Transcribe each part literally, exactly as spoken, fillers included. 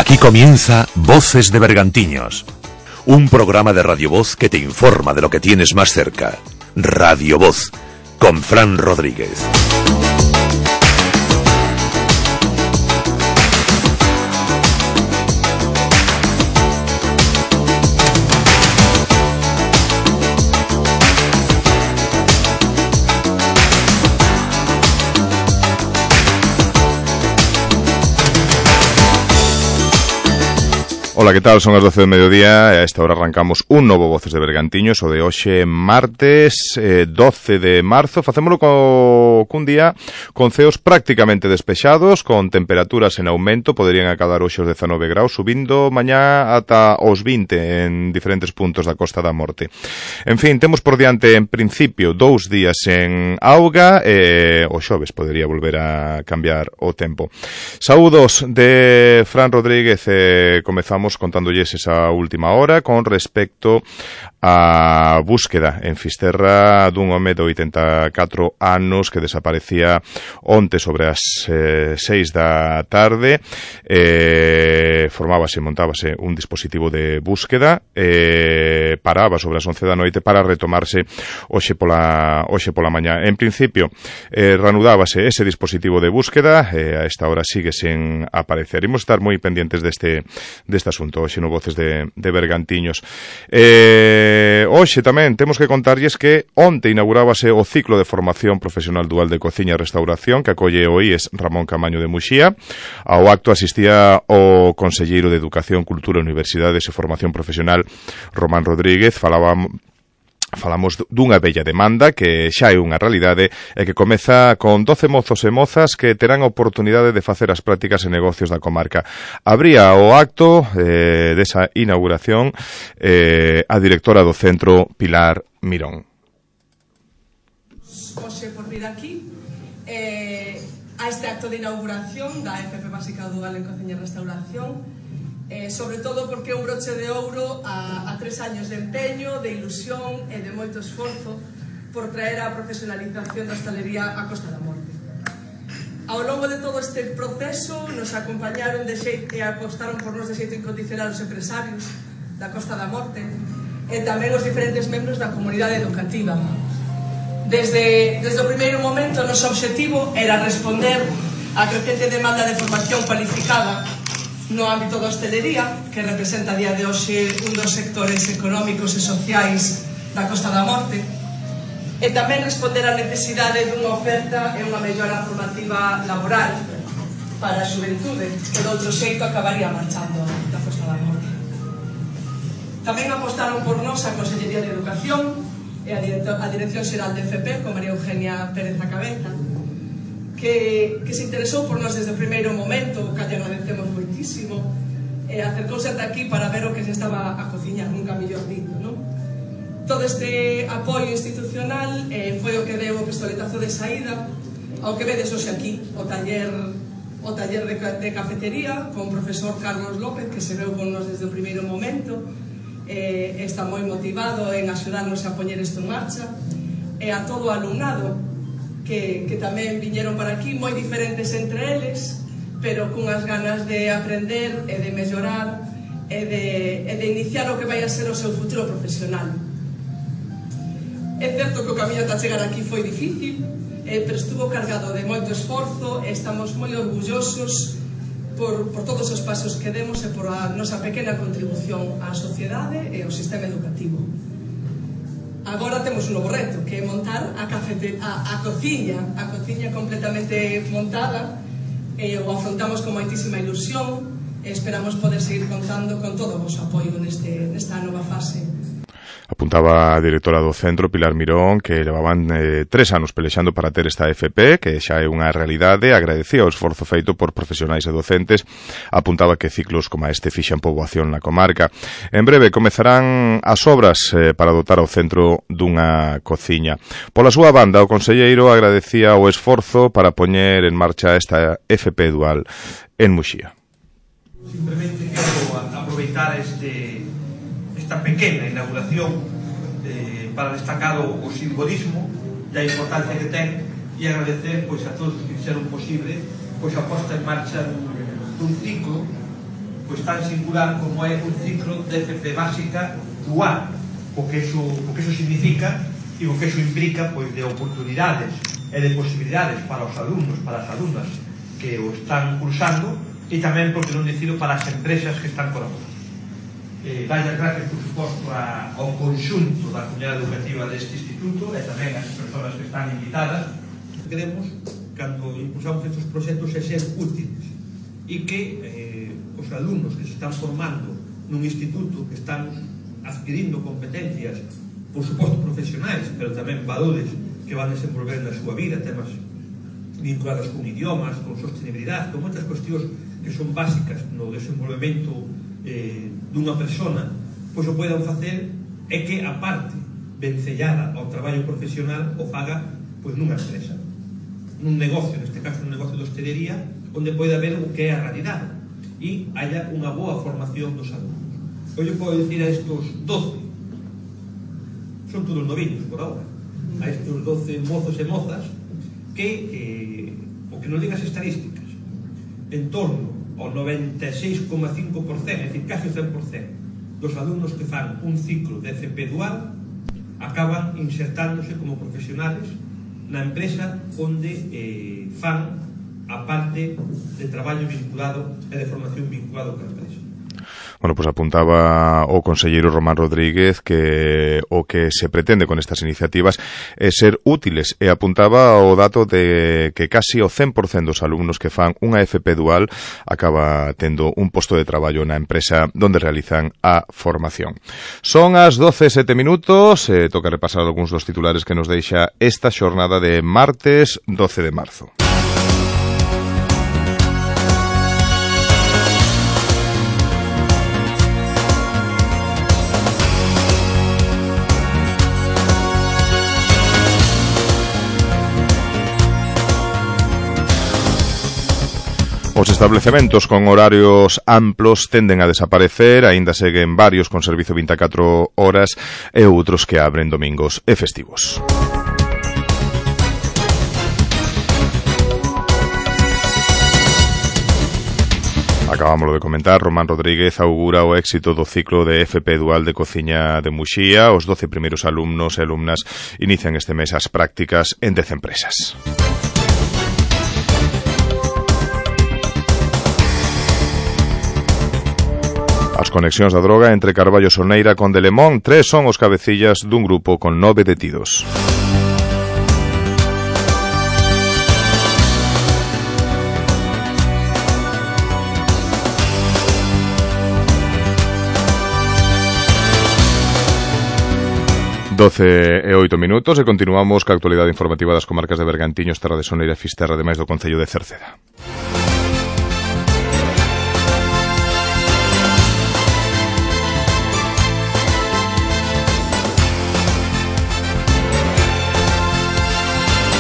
Aquí comienza Voces de Bergantiños, un programa de Radio Voz que te informa de lo que tienes más cerca. Radio Voz, con Fran Rodríguez. Ola, que tal? Son as doce do mediodía e a esta hora arrancamos un novo Voces de Bergantiños, o de hoxe martes eh, doce de marzo. Facémolo co, cun día con ceos prácticamente despexados, con temperaturas en aumento, poderían acadar hoxe os dezanove graus, subindo mañá ata os vinte en diferentes puntos da Costa da Morte. En fin, temos por diante en principio dous días en auga e o xoves podería volver a cambiar o tempo. Saúdos de Fran Rodríguez e comezamos contándolles esa última hora con respecto a búsqueda en Fisterra dun home de oitenta e catro anos que desaparecía onte sobre as eh, seis da tarde. Eh, formábase, montábase un dispositivo de búsqueda, eh, paraba sobre as once da noite para retomarse hoxe pola, hoxe pola mañá. En principio, eh, reanudábase ese dispositivo de búsqueda, eh, a esta hora sigue sen aparecer. Imos estar moi pendientes deste, deste asunto hoxe no Voces de, de Bergantiños. Eh, hoxe tamén temos que contarlles que onte inaugurábase o ciclo de formación profesional dual de cociña e restauración que acolle o I E S Ramón Camaño de Muxía. Ao acto asistía o conselleiro de Educación, Cultura, Universidades e Formación Profesional Román Rodríguez. Falábamos Falamos dunha bella demanda que xa é unha realidade e que comeza con doce mozos e mozas que terán a oportunidade de facer as prácticas e negocios da comarca. Abría o acto eh, desa inauguración eh, a directora do centro, Pilar Mirón. Hoxe por vir aquí eh, a este acto de inauguración da F P Básica Dual en Cociña e Restauración, Eh, sobre todo porque é un broche de ouro a, a tres años de empeño, de ilusión e de moito esforzo por traer a profesionalización da hostalería á Costa da Morte. Ao longo de todo este proceso nos acompañaron de xeito, e apostaron por nos de xeito incondicional os empresarios da Costa da Morte e tamén os diferentes membros da comunidade educativa. Desde, desde o primeiro momento, o noso obxectivo era responder á crecente demanda de formación cualificada no ámbito da hostelería, que representa a día de hoxe un dos sectores económicos e sociais da Costa da Morte, e tamén responder á necesidade dunha oferta e unha mellora formativa laboral para a xuventude, que de outro xeito acabaría marchando da Costa da Morte. Tamén apostaron por nós a Consellería de Educación e a, a Dirección Xeral de F P, con María Eugenia Pérez a cabeza, Que, que se interesou por nós desde o primeiro momento, que lle agradecemos moitísimo, e acercouse ata aquí para ver o que se estaba a cociñar, nunca mellor dito, non? Todo este apoio institucional eh, foi o que deu o pistoletazo de saída ao que vedes hoxe aquí, o taller o taller de, de cafetería con o profesor Carlos López, que se veu con nós desde o primeiro momento, eh, está moi motivado en axudarnos a poñer isto en marcha, e a todo o alumnado Que, que tamén viñeron para aquí, moi diferentes entre eles, pero cunhas ganas de aprender e de mellorar e de, e de iniciar o que vai a ser o seu futuro profesional. É certo que o camiño ata chegar aquí foi difícil, eh, pero estuvo cargado de moito esforzo e estamos moi orgullosos por, por todos os pasos que demos e por a nosa pequena contribución á sociedade e ao sistema educativo. Agora temos un novo reto, que é montar a, cafete, a, a cociña, a cociña completamente montada, e o afrontamos con moitísima ilusión e esperamos poder seguir contando con todo o vosso apoio neste, nesta nova fase. Apuntaba a directora do centro, Pilar Mirón, que levaban eh, tres anos pelexando para ter esta F P, que xa é unha realidade. Agradecía o esforzo feito por profesionais e docentes. Apuntaba que ciclos como este fixan poboación na comarca. En breve comezarán as obras eh, para dotar ao centro dunha cociña. Pola súa banda, o conselleiro agradecía o esforzo para poñer en marcha esta F P dual en Muxía. Simplemente quero aproveitar este esta pequena inauguración eh, para destacar o, o simbolismo e a importancia que ten e agradecer pois, a todos que fixeron posible pois, a posta en marcha dun, dun ciclo pois tan singular como é un ciclo de F P básica dual, o que eso, o que eso significa e o que eso implica pois de oportunidades e de posibilidades para os alumnos, para as alumnas que o están cursando, e tamén, porque non dicilo, para as empresas que están colaborando. Eh, Vaya gracias, por suposto, a, ao conxunto da comunidade educativa deste instituto e tamén as persoas que están invitadas. Queremos, cando impulsamos estes proxectos, é ser útiles e que eh, os alumnos que se están formando nun instituto, que están adquirindo competencias, por suposto profesionais, pero tamén valores que van desenvolver na súa vida, temas vinculados con idiomas, con sostenibilidade, con moitas cuestións que son básicas no desenvolvemento eh, dunha persona, pois o poidan facer é que a parte vencellada ao traballo profesional o faga pois nunha empresa, nun negocio, neste caso nun negocio de hostelería, onde poida ver o que é a realidade e haya unha boa formación dos alumnos. Eu podo dicir a estos doce, son todos noviños por ahora, a estos doce mozos e mozas, que eh, o que nos digan as estadísticas, en torno ao noventa e seis coma cinco por cento, é dicir, casi o cen por cento dos alumnos que fan un ciclo de F P dual acaban insertándose como profesionales na empresa onde eh, fan a parte de traballo vinculado e de formación vinculado con a empresa. Bueno, pues apuntaba o conselleiro Román Rodríguez que o que se pretende con estas iniciativas é ser útiles e apuntaba o dato de que casi o cen por cento dos alumnos que fan unha F P dual acaba tendo un posto de traballo na empresa donde realizan a formación. Son as doce e sete minutos, eh, toca repasar algúns dos titulares que nos deixa esta xornada de martes doce de marzo. Os establecementos con horarios amplos tenden a desaparecer, aínda seguen varios con servizo vinte e catro horas e outros que abren domingos e festivos. Acabámoslo de comentar, Román Rodríguez augura o éxito do ciclo de F P dual de cociña de Muxía. Os doce primeiros alumnos e alumnas inician este mes as prácticas en dez empresas. As conexións da droga entre Carballo Soneira con Delemón, tres son os cabecillas dun grupo con nove detidos. doce e oito minutos e continuamos ca actualidade informativa das comarcas de Bergantiños, Terra de Soneira e Fisterra, ademais do concello de Cerceda.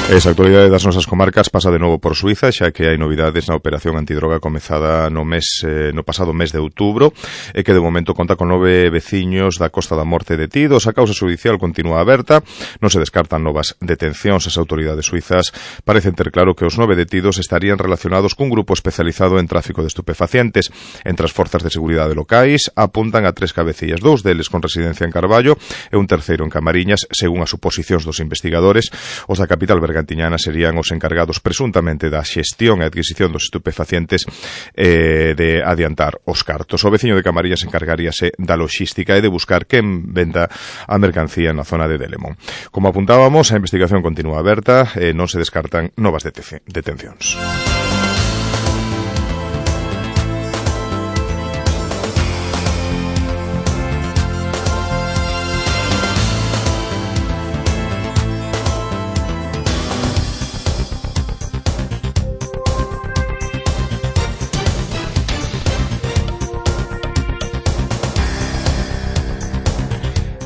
Esa actualidade das nosas comarcas pasa de novo por Suiza, xa que hai novidades na operación antidroga comezada no mes eh, no pasado mes de outubro e que de momento conta con nove veciños da Costa da Morte detidos. A causa judicial continúa aberta, non se descartan novas detencións. As autoridades suizas parecen ter claro que os nove detidos estarían relacionados cun grupo especializado en tráfico de estupefacientes. Entre as forzas de seguridade locais apuntan a tres cabecillas, dous deles con residencia en Carballo e un terceiro en Camariñas, según as suposicións dos investigadores. Os da capital Bergantiñana Bergantiñana serían os encargados presuntamente da xestión e adquisición dos estupefacientes eh, de adiantar os cartos. O veciño de Camarillas encargaríase da logística e de buscar quen venda a mercancía na zona de Delemón. Como apuntábamos, a investigación continúa aberta e non se descartan novas detencións.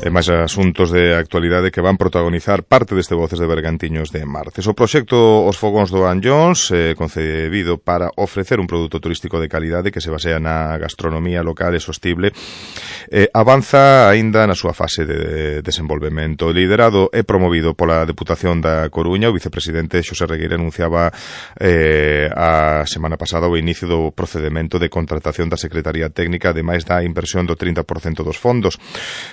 E máis asuntos de actualidade que van protagonizar parte deste Voces de Bergantiños de martes. O proxecto Os Fogóns do Anllóns, eh, concebido para ofrecer un produto turístico de calidade que se basea na gastronomía local e sostible, eh, avanza aínda na súa fase de desenvolvemento. Liderado e promovido pola Deputación da Coruña, o vicepresidente Xosé Regueira anunciaba eh, a semana pasada o inicio do procedimento de contratación da Secretaría Técnica, ademais da inversión do trinta por cento dos fondos.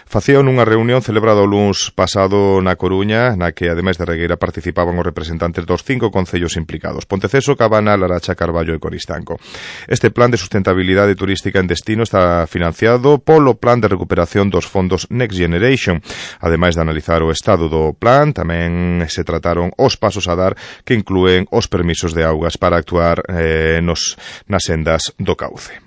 Facían nunha reunión celebrada o luns pasado na Coruña, na que, ademais de Regueira, participaban os representantes dos cinco concellos implicados: Ponteceso, Cabana, Laracha, Carballo e Coristanco. Este plan de sustentabilidade turística en destino está financiado polo Plan de Recuperación dos Fondos Next Generation. Ademais de analizar o estado do plan, tamén se trataron os pasos a dar, que inclúen os permisos de augas para actuar eh, nos, nas sendas do cauce.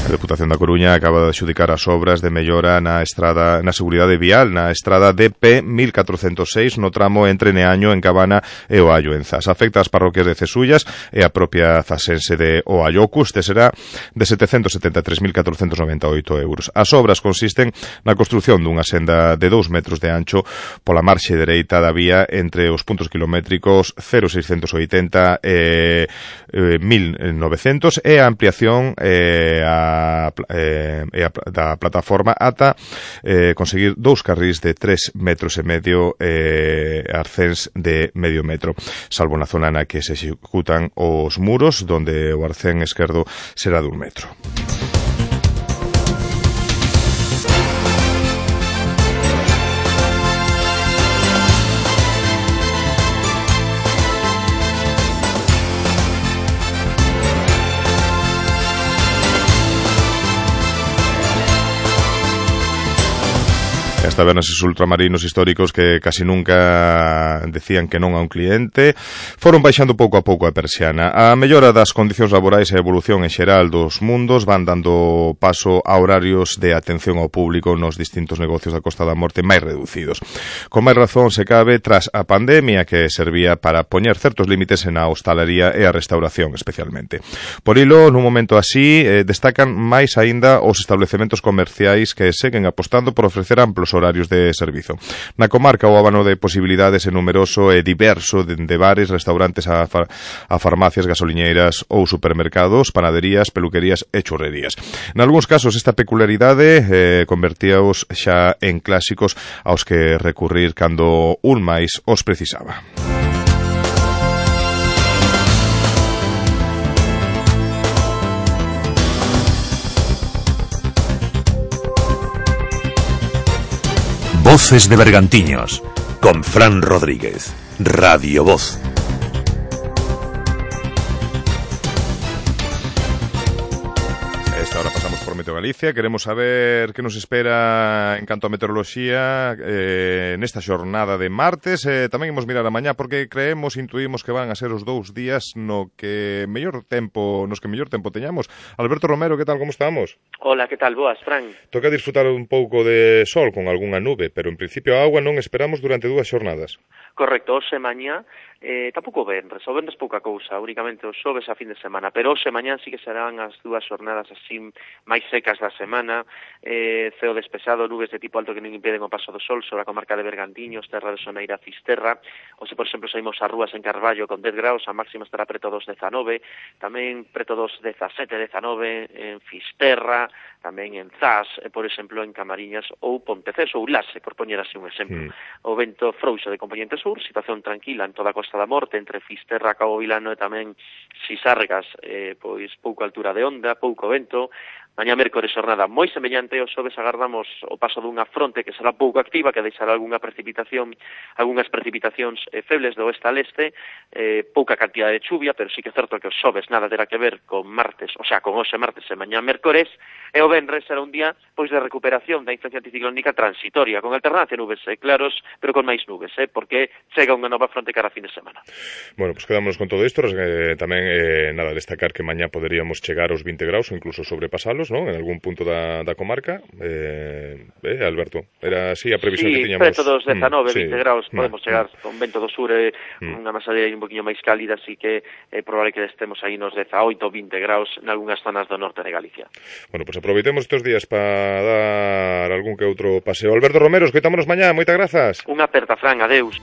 A Deputación da Coruña acaba de adxudicar as obras de mellora na estrada, na seguridade vial, na estrada D P mil catrocentos seis, no tramo entre Neaño, en Cabana, e Oallo, en Zas. Afecta as parroquias de Cesullas e a propia zasense de Oallo. O custe será de setecentos setenta e tres mil catrocentos noventa e oito euros. As obras consisten na construción dunha senda de dous metros de ancho pola marxe dereita da vía entre os puntos kilométricos cero seiscentos oitenta e eh, mil novecentos, e a ampliación eh, a Eh, eh, da plataforma ata eh, conseguir dous carrís de tres metros e medio e eh, arcéns de medio metro, salvo na zona na que se executan os muros, donde o arcén esquerdo será dun metro. As tabernas e ultramarinos históricos que casi nunca decían que non a un cliente foron baixando pouco a pouco a persiana. A mellora das condicións laborais e a evolución en xeral dos mundos van dando paso a horarios de atención ao público nos distintos negocios da Costa da Morte máis reducidos. Con máis razón se cabe tras a pandemia, que servía para poñer certos límites na hostalería e a restauración especialmente. Por ilo, nun momento así, eh, destacan máis aínda os establecementos comerciais que seguen apostando por ofrecer amplos horarios de servizo. Na comarca o abano de posibilidades é numeroso e diverso, de bares, restaurantes a, far, a farmacias, gasoliñeiras ou supermercados, panaderías, peluquerías e churrerías. Nalgúns casos esta peculiaridade eh, convertíaos xa en clásicos aos que recurrir cando un máis os precisaba. Voces de Bergantiños, con Fran Rodríguez, Radio Voz. Esta hora pasamos por Meteo Galicia. Queremos saber que nos espera en canto a meteoroloxía eh, nesta xornada de martes. Eh, tamén imos mirar a mañá, porque creemos, intuímos que van a ser os dous días no que mellor tempo, nos que mellor tempo teñamos. Alberto Romero, que tal, como estamos? Hola, que tal, boas, Fran? Toca disfrutar un pouco de sol con algunha nube, pero en principio a agua non esperamos durante dúas xornadas. Correcto, hoxe mañá, eh, tampouco venres, o venres pouca cousa, únicamente os xoves a fin de semana, pero hoxe mañá sí que serán as dúas xornadas así máis secas da semana, eh, ceo despexado, nubes de tipo alto que non impeden o paso do sol sobre a comarca de Bergantiños, terra de Soneira, Fisterra. Hoxe, por exemplo, saímos ás rúas en Carballo con dez graus, a máxima estará preto dos dezanove, tamén preto dos dezasete, dezanove en Fisterra, tamén en Zas, por exemplo, en Camariñas ou Ponteceso ou Lase, por poñer así un exemplo. Mm. O vento frouxo de componente sur, situación tranquila en toda a Costa da Morte, entre Fisterra, Cabo Vilano e tamén Sisargas, eh, pois pouca altura de onda, pouco vento. Mañá mércores xornada moi semellante, os xoves agardamos o paso dunha fronte que será pouco activa, que deixará algunha precipitación, algunhas precipitacións eh, febles do oeste al este, eh, pouca cantidad de chuvia, pero sí que é certo que os xoves nada terá que ver con martes, o sea, con hoxe martes e mañá mércores, e o venres será un día pois de recuperación da influencia anticiclónica transitoria, con alternancia nubes eh, claros, pero con máis nubes, eh, porque chega unha nova fronte cara a fin de semana. Bueno, pues quedámonos con todo isto, eh, tamén eh, nada, destacar que mañá poderíamos chegar aos vinte graus ou incluso sobrepasalos. menos, non? En algún punto da, da comarca. Eh, eh, Alberto, era así a previsión sí, que tiñamos. Sí, preto dos dezanove, mm, vinte sí. graus, podemos mm, chegar mm. con vento do sur e mm. unha masadera un poquinho máis cálida, así que é eh, probable que estemos aí nos dezaoito, vinte graus en algunhas zonas do norte de Galicia. Bueno, pues aproveitemos estes días para dar algún que outro paseo. Alberto Romero, escoitámonos mañá, moitas grazas. Unha aperta, Fran, adeus.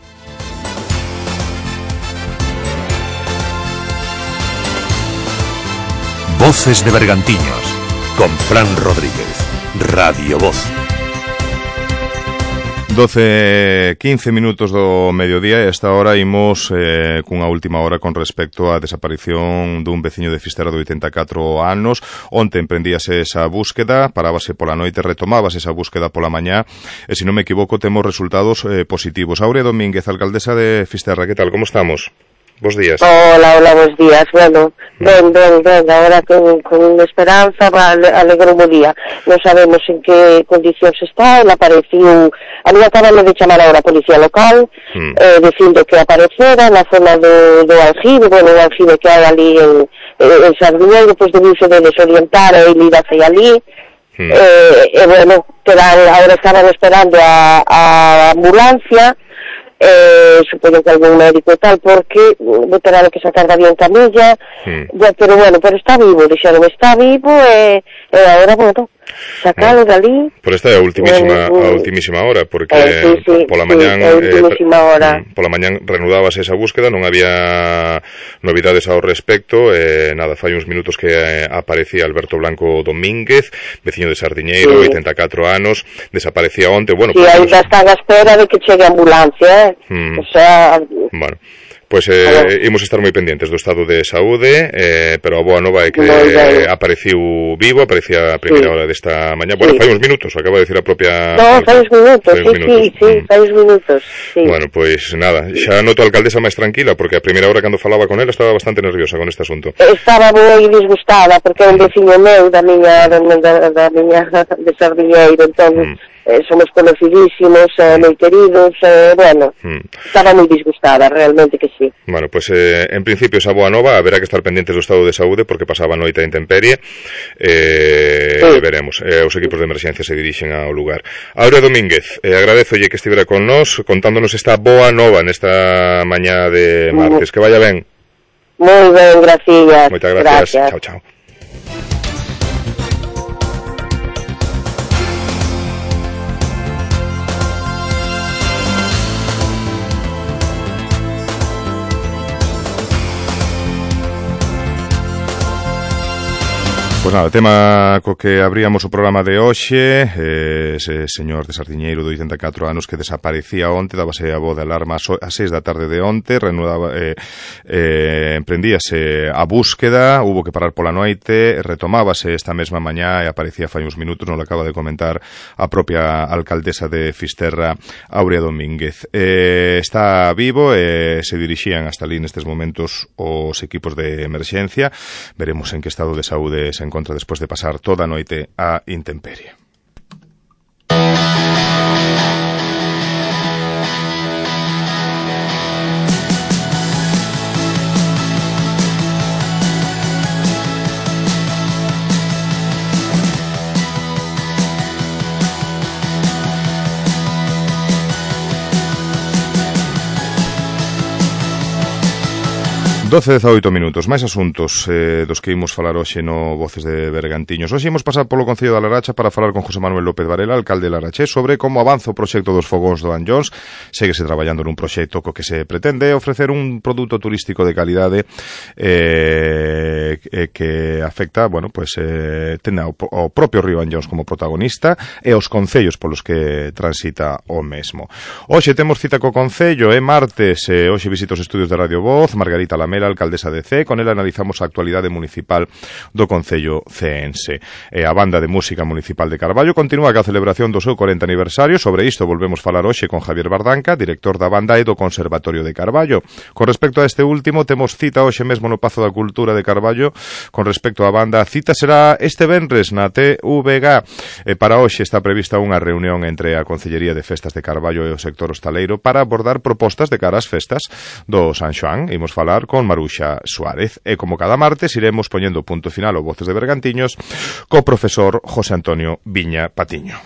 Voces de Bergantiños, con Fran Rodríguez, Radio Voz. doce, quince minutos do mediodía e esta hora imos eh, cunha última hora con respecto á desaparición dun veciño de Fisterra de oitenta e catro anos. Onte emprendíase esa búsqueda, parábase pola noite, retomábase esa búsqueda pola mañá e, se non me equivoco, temos resultados eh, positivos. Aurea Domínguez, alcaldesa de Fisterra, que tal, como estamos? Bos días. Hola, hola, bos días. Bueno, ben, ben, ben, agora con, con esperanza va alegro o día. Non sabemos en que condicións está, ele apareciu, a mí acabamos de chamar agora a policía local, mm. eh, dicindo que aparecera na zona do, do aljibe, bueno, o aljibe que hai ali en, en Sardiñeiro, pois debiuse de desorientar e ir hacia ali, mm. eh, e bueno, quedar, agora estaban esperando a, a ambulancia, eh, supoño que algún médico e tal, porque vou ter que sacar da bien camilla, mm. ya, pero bueno, pero está vivo, dixeron, está vivo, e, e agora, bueno, sacalo bueno, dali. Por esta é a ultimísima, eh, a ultimísima hora, porque eh, sí, sí, pola sí, mañán eh, pola mañán reanudábase esa búsqueda, non había novidades ao respecto, eh, nada, fai uns minutos que eh, aparecía Alberto Blanco Domínguez, veciño de Sardiñeiro, sí. oitenta e catro anos, desaparecía onte, bueno, sí, pues, ainda están a espera de que chegue a ambulancia, eh? Mm. O sea, bueno, Pois eh, imos estar moi pendientes do estado de saúde, eh, pero a boa nova é que eh, apareciu vivo, aparecía a primeira sí. hora desta mañá. Bueno, sí. fai uns minutos, acaba de decir a propia... No, fai uns minutos, sí, minutos. sí, sí, mm. fai uns minutos, sí. Bueno, pois nada, xa noto a alcaldesa máis tranquila, porque a primeira hora cando falaba con ela estaba bastante nerviosa con este asunto. Estaba moi disgustada, porque é un veciño meu da miña, da, da, da miña de Sardiñeiro, entón... Mm. Eh, somos conocidísimos, eh, moi queridos, eh, bueno, mm. estaba moi disgustada, realmente que sí. Bueno, pues eh, en principio esa boa nova, haberá que estar pendientes do estado de saúde, porque pasaba a noite a intemperie, eh, sí. veremos, eh, os equipos de emerxencia se dirixen ao lugar. Aurea Domínguez, eh, agradezolle que estivera con nós, contándonos esta boa nova nesta mañá de martes, mm. que vaya ben. Moi ben, gracias. Moitas gracias, gracias. chao, chao. Pois nada, tema co que abríamos o programa de hoxe, eh, ese señor de Sardiñeiro de oitenta e catro anos que desaparecía onte, dábase a voz de alarma ás seis da tarde de onte, reanudaba, eh, eh, emprendíase a búsqueda, hubo que parar pola noite, retomábase esta mesma mañá e aparecía fai uns minutos, non lo acaba de comentar a propia alcaldesa de Fisterra, Aurea Domínguez. Eh, está vivo e eh, se dirixían hasta ali nestes momentos os equipos de emerxencia, veremos en que estado de saúde se encontra despois de pasar toda a noite a intemperie. doce e dezaoito minutos, máis asuntos eh, dos que imos falar hoxe no Voces de Bergantiños. Hoxe imos pasar polo Concello da Laracha para falar con José Manuel López Varela, alcalde de Larache, sobre como avanza o proxecto dos fogóns do Anllóns. Séguese traballando nun proxecto co que se pretende ofrecer un produto turístico de calidade eh, que afecta, bueno, pues eh, ten ao, ao propio río Anllóns como protagonista e os concellos polos que transita o mesmo. Hoxe temos cita co Concello, é martes, eh, hoxe visita os estudios de Radio Voz, Margarita Lamela, alcaldesa de C, con ela analizamos a actualidade municipal do Concello ceense. E a Banda de Música Municipal de Carballo continúa ca celebración do seu corenta aniversario. Sobre isto volvemos falar hoxe con Javier Bardanca, director da banda e do Conservatorio de Carballo. Con respecto a este último, temos cita hoxe mesmo no Pazo da Cultura de Carballo. Con respecto á banda, a cita será este venres na T V G. E para hoxe está prevista unha reunión entre a Concellería de Festas de Carballo e o sector hostaleiro para abordar propostas de cara ás festas do San Xoán. Imos falar con Maruxa Suárez. E como cada martes iremos poñendo punto final ao Voces de Bergantiños co profesor José Antonio Viña Patiño.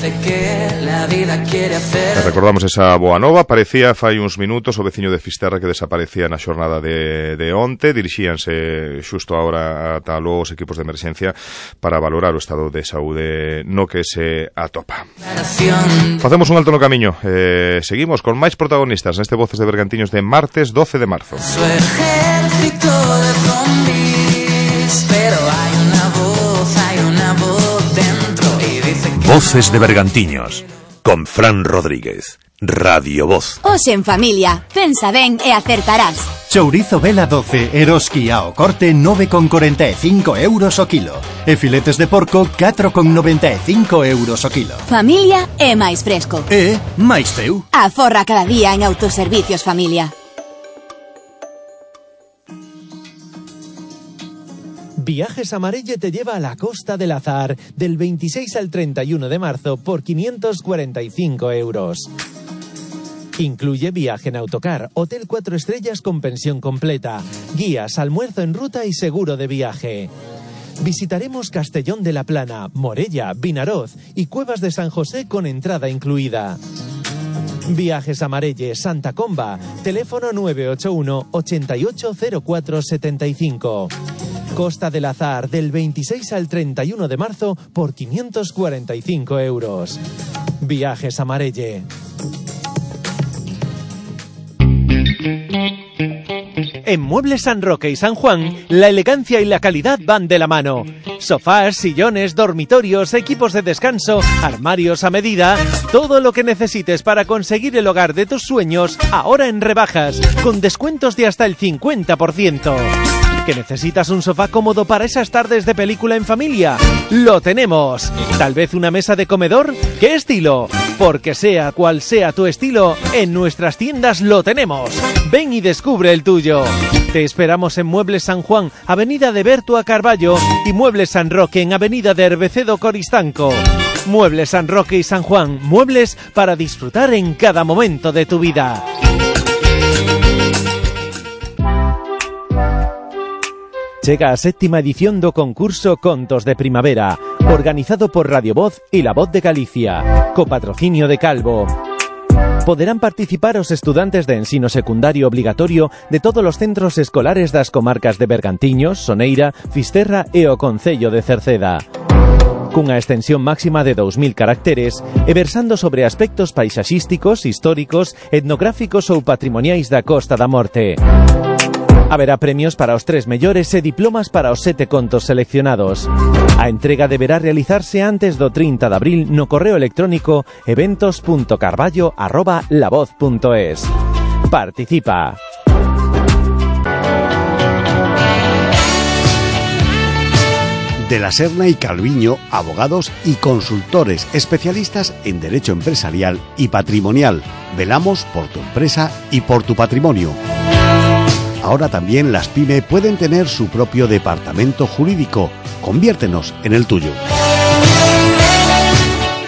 E recordamos esa boa nova. Parecía fai uns minutos o veciño de Fisterra que desaparecía na xornada de, de onte. Dirixíanse xusto agora ata os equipos de emerxencia para valorar o estado de saúde no que se atopa. Facemos un alto no camiño. eh, Seguimos con máis protagonistas neste Voces de Bergantiños de martes doce de marzo. Su ejército de zombies, pero hay una voz, hay una voz dentro y dice que... Voces de Bergantiños, con Fran Rodríguez, Radio Voz. Hoxe en familia, pensa ben e acertarás. Chourizo Vela doce, Eroski ao corte nove con corenta e cinco euros o kilo. E filetes de porco catro con noventa e cinco euros o kilo. Familia é máis fresco. E máis teu. Aforra cada día en Autoservicios Familia. Viajes Amarelle te lleva a la Costa del Azar del veintiséis al treinta y uno de marzo por quinientos cuarenta y cinco euros. Incluye viaje en autocar, hotel cuatro estrellas con pensión completa, guías, almuerzo en ruta y seguro de viaje. Visitaremos Castellón de la Plana, Morella, Vinaroz y Cuevas de San José con entrada incluida. Viajes Amarelle, Santa Comba, teléfono nueve ocho uno, ochenta y ocho cero cuatro setenta y cinco. Costa del Azar del veintiséis al treinta y uno de marzo por quinientos cuarenta y cinco euros. Viajes Amarelle. En Muebles San Roque y San Juan, la elegancia y la calidad van de la mano. Sofás, sillones, dormitorios, equipos de descanso, armarios a medida, todo lo que necesites para conseguir el hogar de tus sueños, ahora en rebajas, con descuentos de hasta el cincuenta por ciento. ¿Que necesitas un sofá cómodo para esas tardes de película en familia? ¡Lo tenemos! ¿Tal vez una mesa de comedor? ¿Qué estilo? Porque sea cual sea tu estilo, en nuestras tiendas lo tenemos. Ven y descubre el tuyo. Te esperamos en Muebles San Juan, Avenida de Bertua Carballo, y Muebles San Roque en Avenida de Herbecedo Coristanco. Muebles San Roque y San Juan, muebles para disfrutar en cada momento de tu vida. Chega a séptima edición do concurso Contos de Primavera, organizado por Radio Voz y La Voz de Galicia, co patrocinio de Calvo. Poderán participar os estudantes de ensino secundario obligatorio de todos os centros escolares das comarcas de Bergantiños, Soneira, Fisterra e o concello de Cerceda. Cunha extensión máxima de dous mil caracteres e versando sobre aspectos paisaxísticos, históricos, etnográficos ou patrimoniais da Costa da Morte. Haberá premios para os tres mellores e diplomas para os sete contos seleccionados. A entrega deberá realizarse antes do trinta de abril no correo electrónico eventos punto carballo arroba lavoz punto es. Participa. De la Serna y Calviño, abogados y consultores especialistas en derecho empresarial y patrimonial. Velamos por tu empresa y por tu patrimonio. Ahora también las pyme pueden tener su propio departamento jurídico. Conviértenos en el tuyo.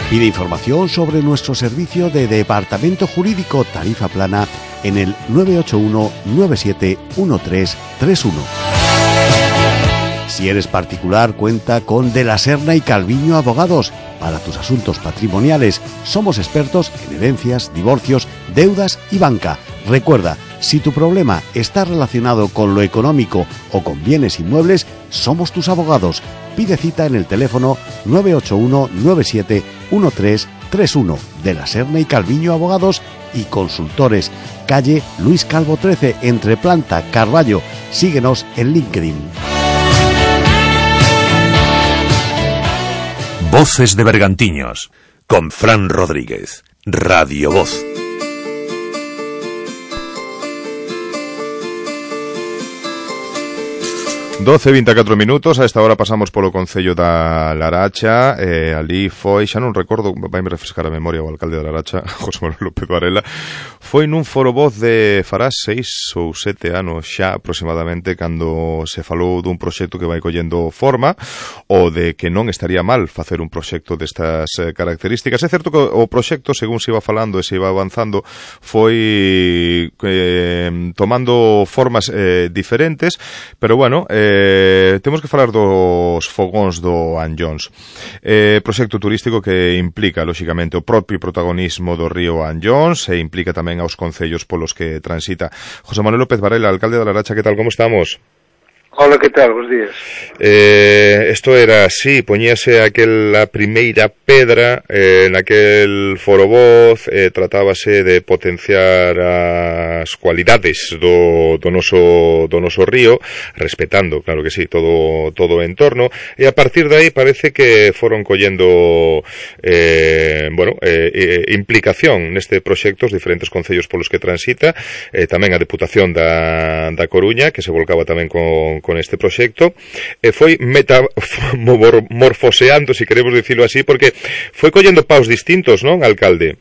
Pide información sobre nuestro servicio de departamento jurídico tarifa plana en el nueve ocho uno, nueve siete uno tres tres uno. Si eres particular, cuenta con De la Serna y Calviño Abogados. Para tus asuntos patrimoniales, somos expertos en herencias, divorcios, deudas y banca. Recuerda, si tu problema está relacionado con lo económico o con bienes inmuebles, somos tus abogados. Pide cita en el teléfono nueve ocho uno, nueve siete uno tres tres uno. De la Serna y Calviño Abogados y Consultores. Calle Luis Calvo trece, entre Planta, Carballo. Síguenos en LinkedIn. Voces de Bergantiños, con Fran Rodríguez, Radio Voz. doce e vinte e catro minutos, a esta hora pasamos polo Concello da Laracha, eh, ali foi, xa non recordo, vai me refrescar a memoria o alcalde da Laracha, José Manuel López Varela, foi nun foro voz de fará seis ou sete anos xa aproximadamente, cando se falou dun proxecto que vai collendo forma, ou de que non estaría mal facer un proxecto destas eh, características. É certo que o proxecto, según se iba falando e se iba avanzando, foi eh, tomando formas eh, diferentes, pero bueno, eh, temos que falar dos fogóns do Anllóns. Eh, proxecto turístico que implica, lóxicamente, o propio protagonismo do río Anllóns e implica tamén aos concellos polos que transita. José Manuel López Varela, alcalde da Laracha, que tal, como estamos? Hola, que tal? Bos días. Eh, esto era así, poñíase aquela primeira pedra eh, naquel foro voz, eh, tratábase de potenciar as cualidades do, do, noso, do noso río, respetando, claro que sí, todo, todo o entorno, e a partir de aí parece que foron collendo eh, bueno, eh, eh, implicación neste proxecto os diferentes concellos polos que transita, eh, tamén a Deputación da, da Coruña, que se volcaba tamén con con este proxecto, e foi metamorfoseando, se si queremos dicilo así, porque foi collendo paus distintos, non, alcalde?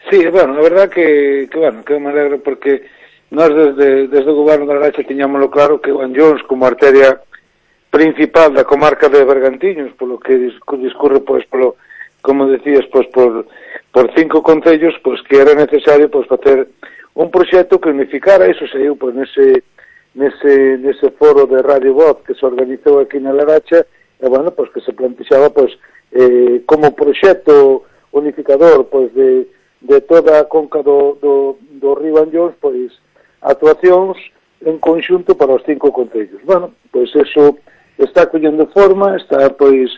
Sí, bueno, a verdad que, que bueno, que me alegro porque nós desde, desde o goberno da Laracha tiñámoslo claro que o Anllóns como arteria principal da comarca de Bergantiños, polo que discurre, pois, polo, como decías, pois, por, por cinco concellos, pois, que era necesario, pois, facer un proxecto que unificara, iso saiu, pois, nese nese, nese foro de Radio Voz que se organizou aquí na Laracha, e, bueno, pois que se plantexaba, pois, eh, como proxecto unificador, pois, de, de toda a conca do, do, do río Anllóns, pois, actuacións en conxunto para os cinco concellos. Bueno, pois, eso está collendo forma, está, pois,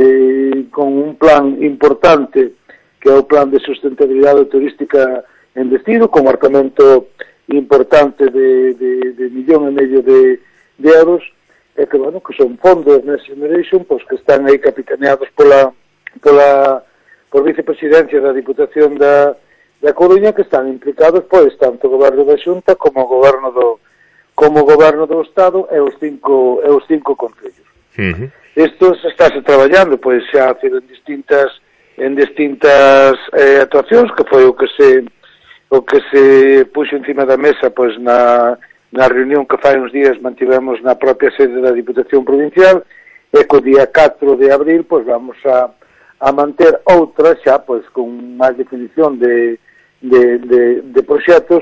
eh, con un plan importante, que é o plan de sustentabilidade turística en destino, con marcamento importante de, de, de millón e medio de, de euros, e que, bueno, que son fondos Next Generation, pois que están aí capitaneados pola, pola, por vicepresidencia da Diputación da, da Coruña, que están implicados, pois, tanto o goberno da Xunta como o goberno do, como o goberno do Estado e os cinco, e os cinco concellos. Uh-huh. Isto se estáse traballando, pois, xa en distintas, en distintas eh, actuacións, que foi o que se o que se puxo encima da mesa, pois, na, na reunión que fai uns días mantivemos na propia sede da Diputación Provincial, e co día catro de abril, pois, vamos a, a manter outra xa, pois, con máis definición de, de, de, de proxectos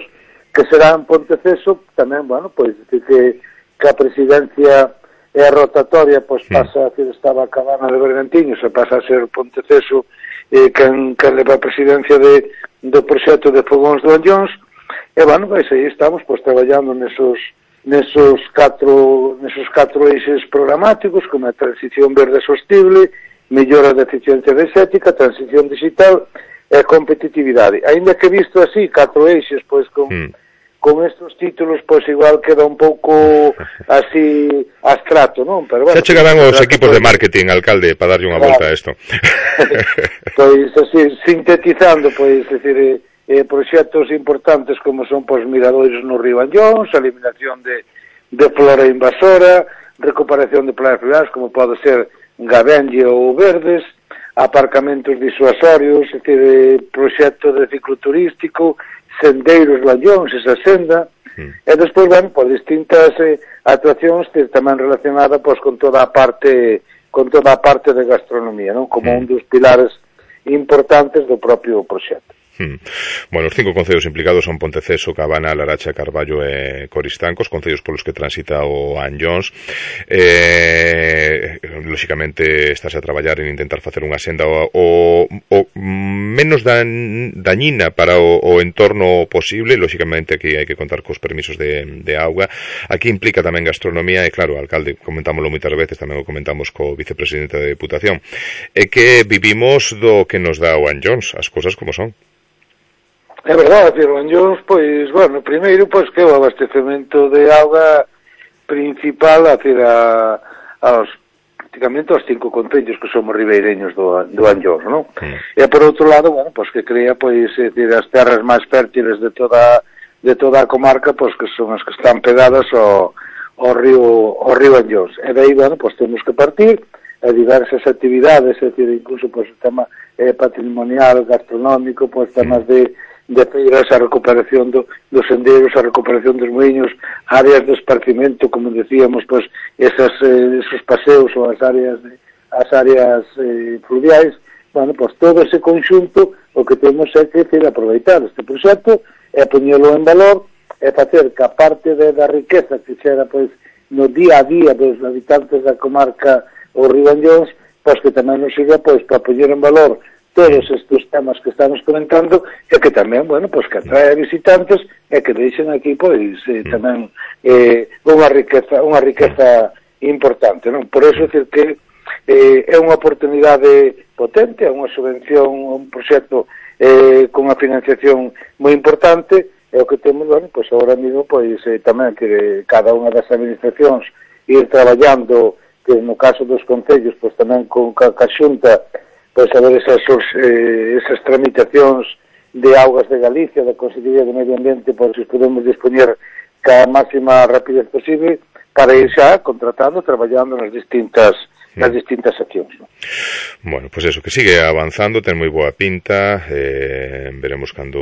que será en Ponteceso, tamén, bueno, pois, que, que a presidencia e a rotatoria, pois, pasa a ser, estaba a Cabana de Bergantiños, e pasa a ser Ponteceso, eh, quen, quen leva a presidencia de do proxecto de fogóns do Anllóns, e, bueno, pois aí estamos, pois, traballando nesos, nesos catro, nesos catro eixes programáticos, como a transición verde sostible, mellora da eficiencia enerxética, transición digital e competitividade. Ainda que visto así, catro eixes, pois, con, mm. con estes títulos, pois, igual queda un pouco así abstracto, non? Pero, bueno, xa chegarán os equipos de marketing, alcalde, para darlle unha volta a isto. Pois, así, sintetizando, pois, decir, eh, eh, proxectos importantes como son, pois, miradores no río Anllóns, a eliminación de, de flora invasora, recuperación de playas fluviais, como pode ser Gabenlle ou Verdes, aparcamentos disuasorios, é dicir, eh, proxecto de cicloturístico, sendeiros do Anllóns, esa senda, mm. e despois, bueno, por distintas eh, actuacións que tamén relacionada, pois, con toda a parte con toda a parte de gastronomía, non? Como mm. un dos pilares importantes do propio proxecto. Hmm. Bueno, os cinco concellos implicados son Ponteceso, Cabana, Laracha, Carballo e Coristanco, os concellos polos que transita o Anllóns. Eh, lóxicamente, estáse a traballar en intentar facer unha senda o, o, o menos dan, dañina para o, o entorno posible. Lóxicamente, aquí hai que contar cos permisos de, de auga. Aquí implica tamén gastronomía e, claro, alcalde, comentámoslo moitas veces, tamén o comentamos co vicepresidente da Deputación, é que vivimos do que nos dá o Anllóns, as cousas como son. É verdade, o Anllóns, pois, bueno, primeiro, pois, que o abastecemento de auga principal a ter a, aos, prácticamente aos cinco concellos que somos ribeireños do, do Anllóns, non? Mm. E por outro lado, bueno, pois, que crea, pois, é dicir, as terras máis fértiles de toda, de toda a comarca, pois, que son as que están pegadas ao, ao río, ao río Anllóns. E daí, bueno, pois temos que partir a diversas actividades, é dicir, incluso pois, o tema eh, patrimonial, gastronómico, pois temas de, de feiras, a recuperación do, dos sendeiros, a recuperación dos moinhos, áreas de esparcimento, como decíamos, pois esas, eh, esos paseos ou as áreas de, as áreas eh, fluviais. Bueno, pois todo ese conxunto o que temos é que decir, aproveitar este proxecto e poñelo en valor e facer que a parte de, da riqueza que xera pois, no día a día dos habitantes da comarca o Río Anllóns, pois que tamén nos sirva pois, para poñer en valor todos estes temas que estamos comentando e que tamén, bueno, pois que atrae a visitantes e que deixen aquí pois eh, tamén eh, unha riqueza unha riqueza importante, non? Por eso, decir que eh, é unha oportunidade potente, é unha subvención, un proxecto eh, con unha financiación moi importante, e o que temos, bueno, pois agora mesmo, pois eh, tamén que cada unha das administracións ir traballando, que no caso dos concellos, pois tamén con ca, ca xunta, pois a ver esas, eh, esas tramitacións de augas de Galicia, da Consellería de Medio Ambiente, pois se podemos dispoñer ca máxima rapidez posible para ir xa contratando, traballando nas distintas nas distintas accións, ¿no? Bueno, pues eso, que sigue avanzando, ten moi boa pinta, eh, veremos cando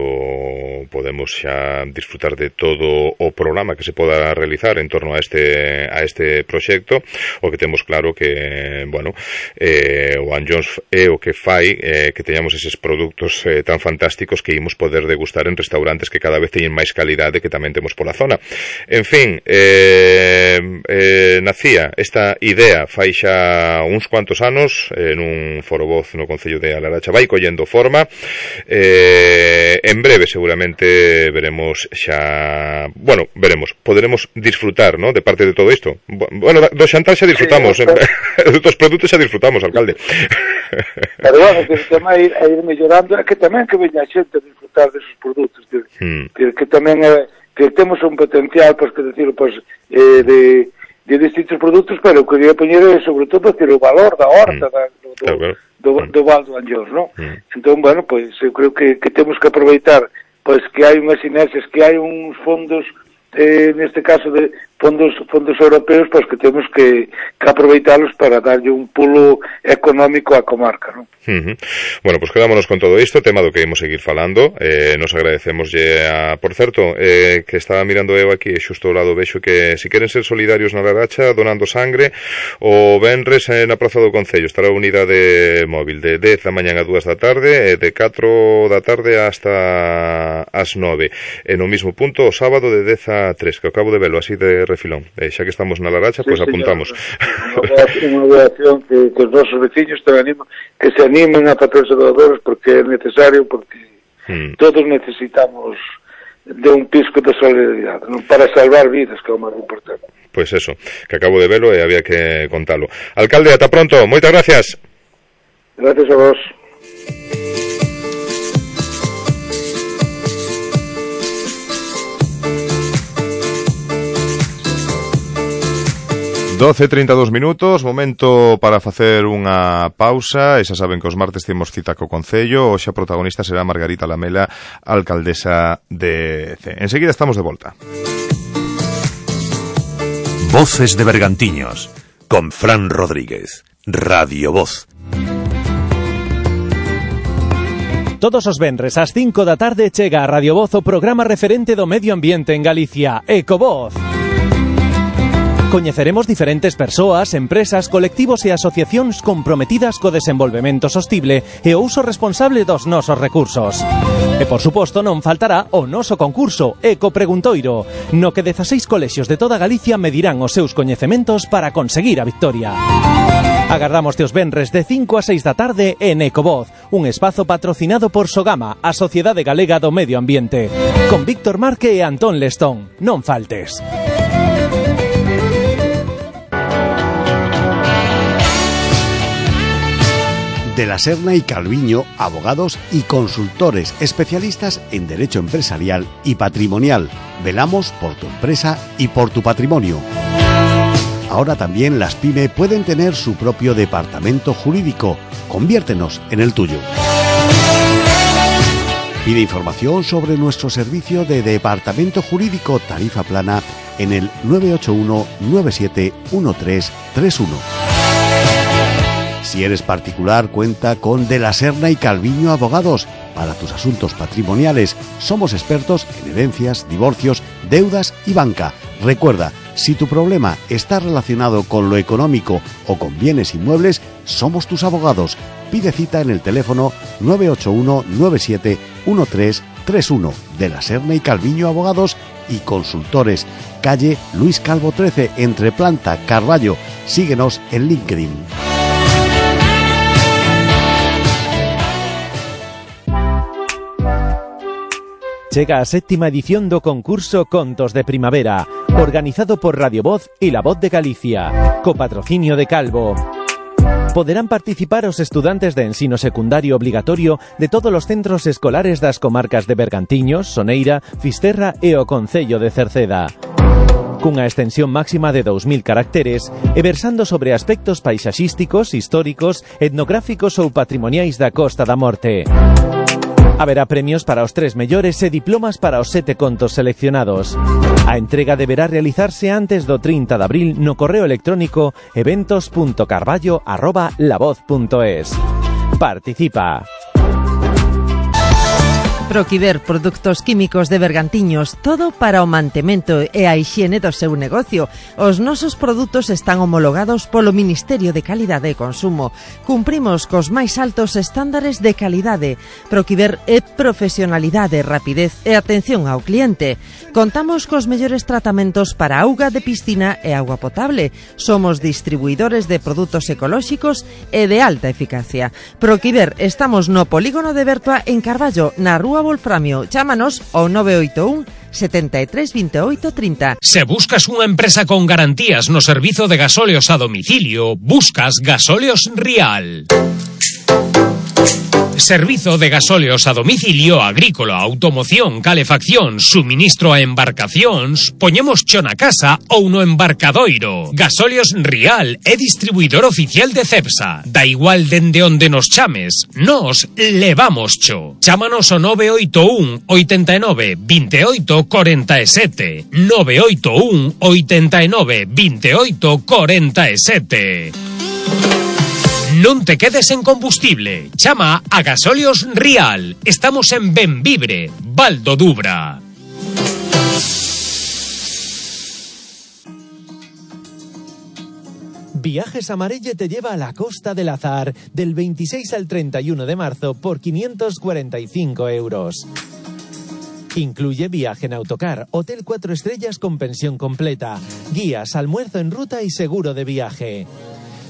podemos xa disfrutar de todo o programa que se poda realizar en torno a este a este proxecto. O que temos claro que, bueno, eh, o Anllóns é o que fai eh, que teñamos eses produtos eh, tan fantásticos que imos poder degustar en restaurantes que cada vez teñen máis calidade que tamén temos pola zona. En fin, eh, eh, nacía esta idea fai xa uns cuantos anos en un foro voz no Concello de A Laracha, vai collendo forma. Eh, en breve seguramente veremos xa, bueno, veremos, poderemos disfrutar, ¿no?, de parte de todo isto. Bueno, do xantar xa disfrutamos, sí, eh, dos produtos xa disfrutamos, alcalde. Pero bueno, que o tema é ir, ir mellorando, é que tamén que veña a xente a disfrutar desos produtos, que, hmm. que, que tamén é, que temos un potencial, pois, que decir, pois, eh, de de distintos produtos, pero quería poñer sobre todo decir, o valor da horta, mm. da, do, claro, claro. do, do, do Val do Anllóns, ¿no? Mm. Entón, bueno, pois eu creo que, que temos que aproveitar pois que hai unhas sinerxias, que hai uns fondos, eh, neste caso de fondos fondos europeos, pois que temos que, que aproveitalos para darlle un pulo económico á comarca, ¿no? Uh-huh. Bueno, pues quedámonos con todo isto, tema do que imos seguir falando. Eh, nos agradecemos a, por certo, eh, que estaba mirando eu aquí, xusto ao lado vexo que si queren ser solidarios na Laracha donando sangre, o venres eh, na Praza do Concello estará a unidade móvil de dez da mañán a dúas da tarde e de catro da tarde hasta as nove. E no mismo punto o sábado de dez a tres, que acabo de velo así de refilón. Eh, xa que estamos na Laracha, sí, pois pues apuntamos. Unha boa acción que, que os nosos veciños te animan, que se animen a facerse doadores porque é necesario, porque hmm. todos necesitamos de un pisco de solidaridade, ¿no?, para salvar vidas, que é o máis importante. Pois pues eso, que acabo de velo e había que contalo. Alcalde, ata pronto, moitas gracias. Gracias a vos. doce e trinta e dous minutos, momento para facer unha pausa. E xa saben que os martes temos cita co Concello. Hoxe a protagonista será Margarita Lamela, alcaldesa de C. Enseguida estamos de volta. Voces de Bergantiños, con Fran Rodríguez, Radio Voz. Todos os venres ás cinco da tarde chega a Radio Voz o programa referente do medio ambiente en Galicia, Ecovoz. Coñeceremos diferentes persoas, empresas, colectivos e asociacións comprometidas co desenvolvemento sostible e o uso responsable dos nosos recursos. E, por suposto, non faltará o noso concurso Eco Preguntoiro, no que dezaseis colexios de toda Galicia medirán os seus coñecementos para conseguir a victoria. Agardamos os venres de cinco a seis da tarde en Ecovoz, un espazo patrocinado por Sogama, a Sociedade Galega do Medio Ambiente, con Víctor Marque e Antón Lestón. Non faltes. De la Serna y Calviño, abogados y consultores especialistas en derecho empresarial y patrimonial. Velamos por tu empresa y por tu patrimonio. Ahora también las PYME pueden tener su propio departamento jurídico. Conviértenos en el tuyo. Pide información sobre nuestro servicio de departamento jurídico tarifa plana en el nueve ocho uno nueve siete uno tres tres uno. Si eres particular, cuenta con De la Serna y Calviño Abogados. Para tus asuntos patrimoniales, somos expertos en herencias, divorcios, deudas y banca. Recuerda, si tu problema está relacionado con lo económico o con bienes inmuebles, somos tus abogados. Pide cita en el teléfono nueve ocho uno nueve siete uno tres tres uno. De la Serna y Calviño Abogados y Consultores. Calle Luis Calvo trece, entre Planta, Carballo. Síguenos en LinkedIn. Chega a séptima edición do concurso Contos de Primavera, organizado por Radio Voz e La Voz de Galicia, co patrocinio de Calvo. Poderán participar os estudantes de ensino secundario obligatorio de todos os centros escolares das comarcas de Bergantiños, Soneira, Fisterra e o Concello de Cerceda. Cunha extensión máxima de dous mil caracteres e versando sobre aspectos paisaxísticos, históricos, etnográficos ou patrimoniais da Costa da Morte. Haberá premios para os tres mellores e diplomas para os sete contos seleccionados. A entrega deberá realizarse antes do trinta de abril no correo electrónico eventos punto carballo arroba lavoz punto es. Participa. Proquiver Produtos Químicos de Bergantiños, todo para o mantemento e a hixiene do seu negocio. Os nosos produtos están homologados polo Ministerio de Calidade e Consumo. Cumprimos cos máis altos estándares de calidade. Proquiver é profesionalidade, rapidez e atención ao cliente. Contamos cos mellores tratamentos para auga de piscina e auga potable. Somos distribuidores de produtos ecolóxicos e de alta eficacia. Proquiver, estamos no polígono de Bertua en Carballo, na Rúa Wolframio. Chámanos ao nove oito un setenta e tres veintiocho trinta. Se buscas unha empresa con garantías no servizo de gasóleos a domicilio, buscas Gasóleos Rial. Servizo de gasóleos a domicilio agrícola, automoción, calefacción, suministro a embarcacións, poñemos cho na casa ou no embarcadoiro. Gasóleos Rial é distribuidor oficial de Cepsa. Da igual dende onde nos chames, nos levamos cho. Chámanos ao nove oito un oitenta e nove veintiocho cuarenta e sete. nove oito un oitenta e nove veintiocho cuarenta e sete. Non te quedes en combustible. Chama a Gasóleos Rial. Estamos en Benvibre, Val do Dubra. Viajes Amarelle te lleva a la Costa del Azar del veintiséis al treinta y uno de marzo por quinientos cuarenta y cinco euros. Incluye viaje en autocar, hotel cuatro estrellas con pensión completa, guías, almuerzo en ruta y seguro de viaje.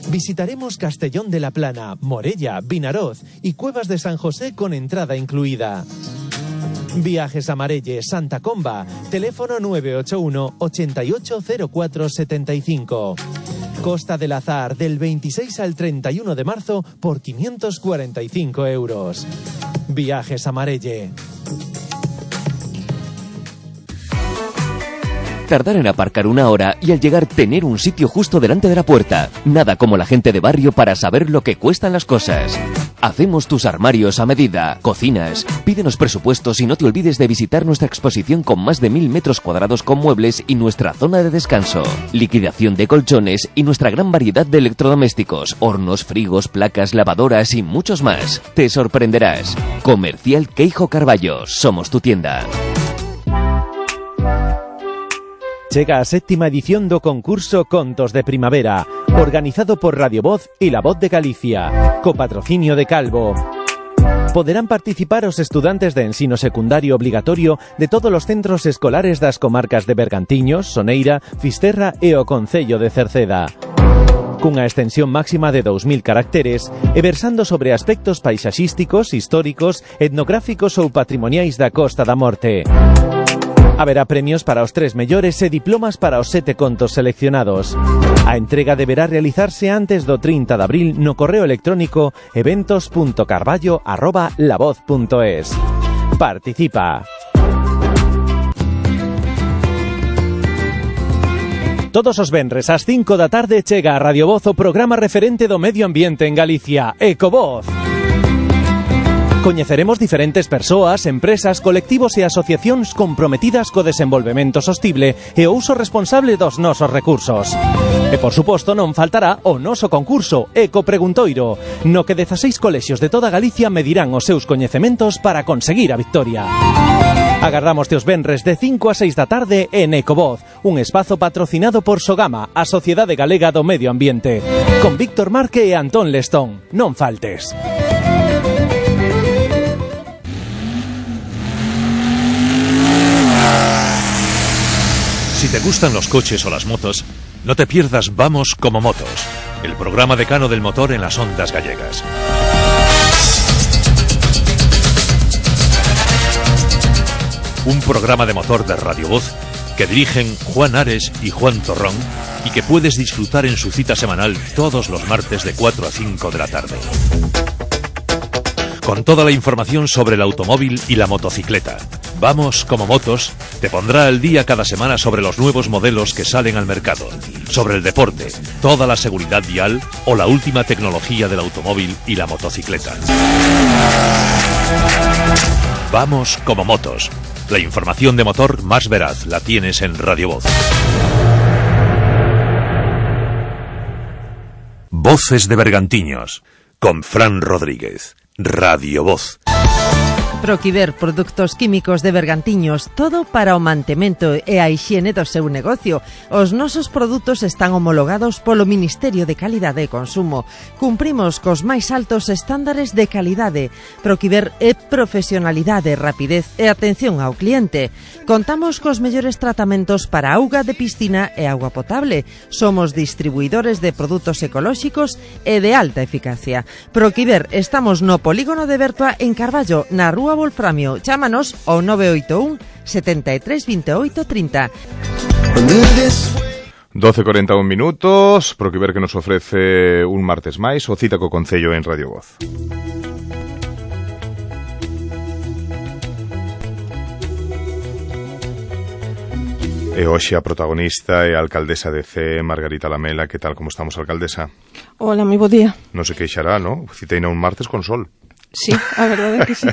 Visitaremos Castellón de la Plana, Morella, Vinaroz y Cuevas de San José con entrada incluida. Viajes Amarelle, Santa Comba, teléfono nueve ocho uno ochenta y ocho cero cuatro setenta y cinco. Costa del Azar del veintiséis al treinta y uno de marzo por quinientos cuarenta y cinco euros. Viajes Amarelle. Tardar en aparcar una hora y al llegar tener un sitio justo delante de la puerta. Nada como la gente de barrio para saber lo que cuestan las cosas. Hacemos tus armarios a medida, cocinas. Pídenos presupuestos y no te olvides de visitar nuestra exposición con más de mil metros cuadrados con muebles y nuestra zona de descanso. Liquidación de colchones y nuestra gran variedad de electrodomésticos, hornos, frigos, placas, lavadoras y muchos más. Te sorprenderás. Comercial Queijo Carballo. Somos tu tienda. Chega a séptima edición do concurso Contos de Primavera, organizado por Radio Voz e La Voz de Galicia, co patrocinio de Calvo. Poderán participar os estudantes de ensino secundario obligatorio de todos os centros escolares das comarcas de Bergantiños, Soneira, Fisterra e o Concello de Cerceda. Cunha extensión máxima de dous mil caracteres e versando sobre aspectos paisaxísticos, históricos, etnográficos ou patrimoniais da Costa da Morte. Haberá premios para os tres mellores e diplomas para os sete contos seleccionados. A entrega deberá realizarse antes do trinta de abril no correo electrónico eventos punto carballo arroba lavoz punto es. Participa. Todos os venres ás cinco da tarde chega a Radio Voz o programa referente do medio ambiente en Galicia, Ecovoz. Coñeceremos diferentes persoas, empresas, colectivos e asociacións comprometidas co desenvolvemento sostible e o uso responsable dos nosos recursos. E, por suposto, non faltará o noso concurso Ecopreguntoiro, no que dezaseis colexios de toda Galicia medirán os seus coñecementos para conseguir a victoria. Agardámoste os venres de cinco a seis da tarde en Ecovoz, un espazo patrocinado por Sogama, a Sociedade Galega do Medio Ambiente, con Víctor Marque e Antón Lestón. Non faltes. Si te gustan los coches o las motos, no te pierdas Vamos como Motos, el programa decano del motor en las ondas gallegas. Un programa de motor de Radio Voz que dirigen Juan Ares y Juan Torrón y que puedes disfrutar en su cita semanal todos los martes de cuatro a cinco de la tarde. Con toda la información sobre el automóvil y la motocicleta. Vamos como Motos te pondrá al día cada semana sobre los nuevos modelos que salen al mercado, sobre el deporte, toda la seguridad vial o la última tecnología del automóvil y la motocicleta. Vamos como Motos. La información de motor más veraz la tienes en Radio Voz. Voces de Bergantiños, con Fran Rodríguez. Radio Voz. Proquiver Produtos Químicos de Bergantiños, todo para o mantemento e a hixiene do seu negocio. Os nosos produtos están homologados polo Ministerio de Calidade e Consumo. Cumprimos cos máis altos estándares de calidade. Proquiver é profesionalidade, rapidez e atención ao cliente. Contamos cos mellores tratamentos para auga de piscina e auga potable. Somos distribuidores de produtos ecolóxicos e de alta eficacia. Proquiver, estamos no polígono de Bertua en Carballo, na Rúa Wolframio. Chámanos ao nove oito un, setenta e tres, veintiocho, treinta. doce e cuarenta e un minutos, Proquiver que nos ofrece un martes máis o cita co Concello en Radio Voz. E hoxe a protagonista é a alcaldesa de C, Margarita Lamela. Que tal, como estamos, alcaldesa? Hola, moi bo día. Non se queixará, non? Citeina un martes con sol. Sí, a verdade é que sí.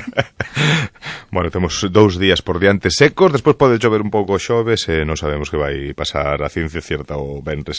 Bueno, temos dous días por diante secos, despois pode chover un pouco xoves e non sabemos que vai pasar a ciencia cierta o venres.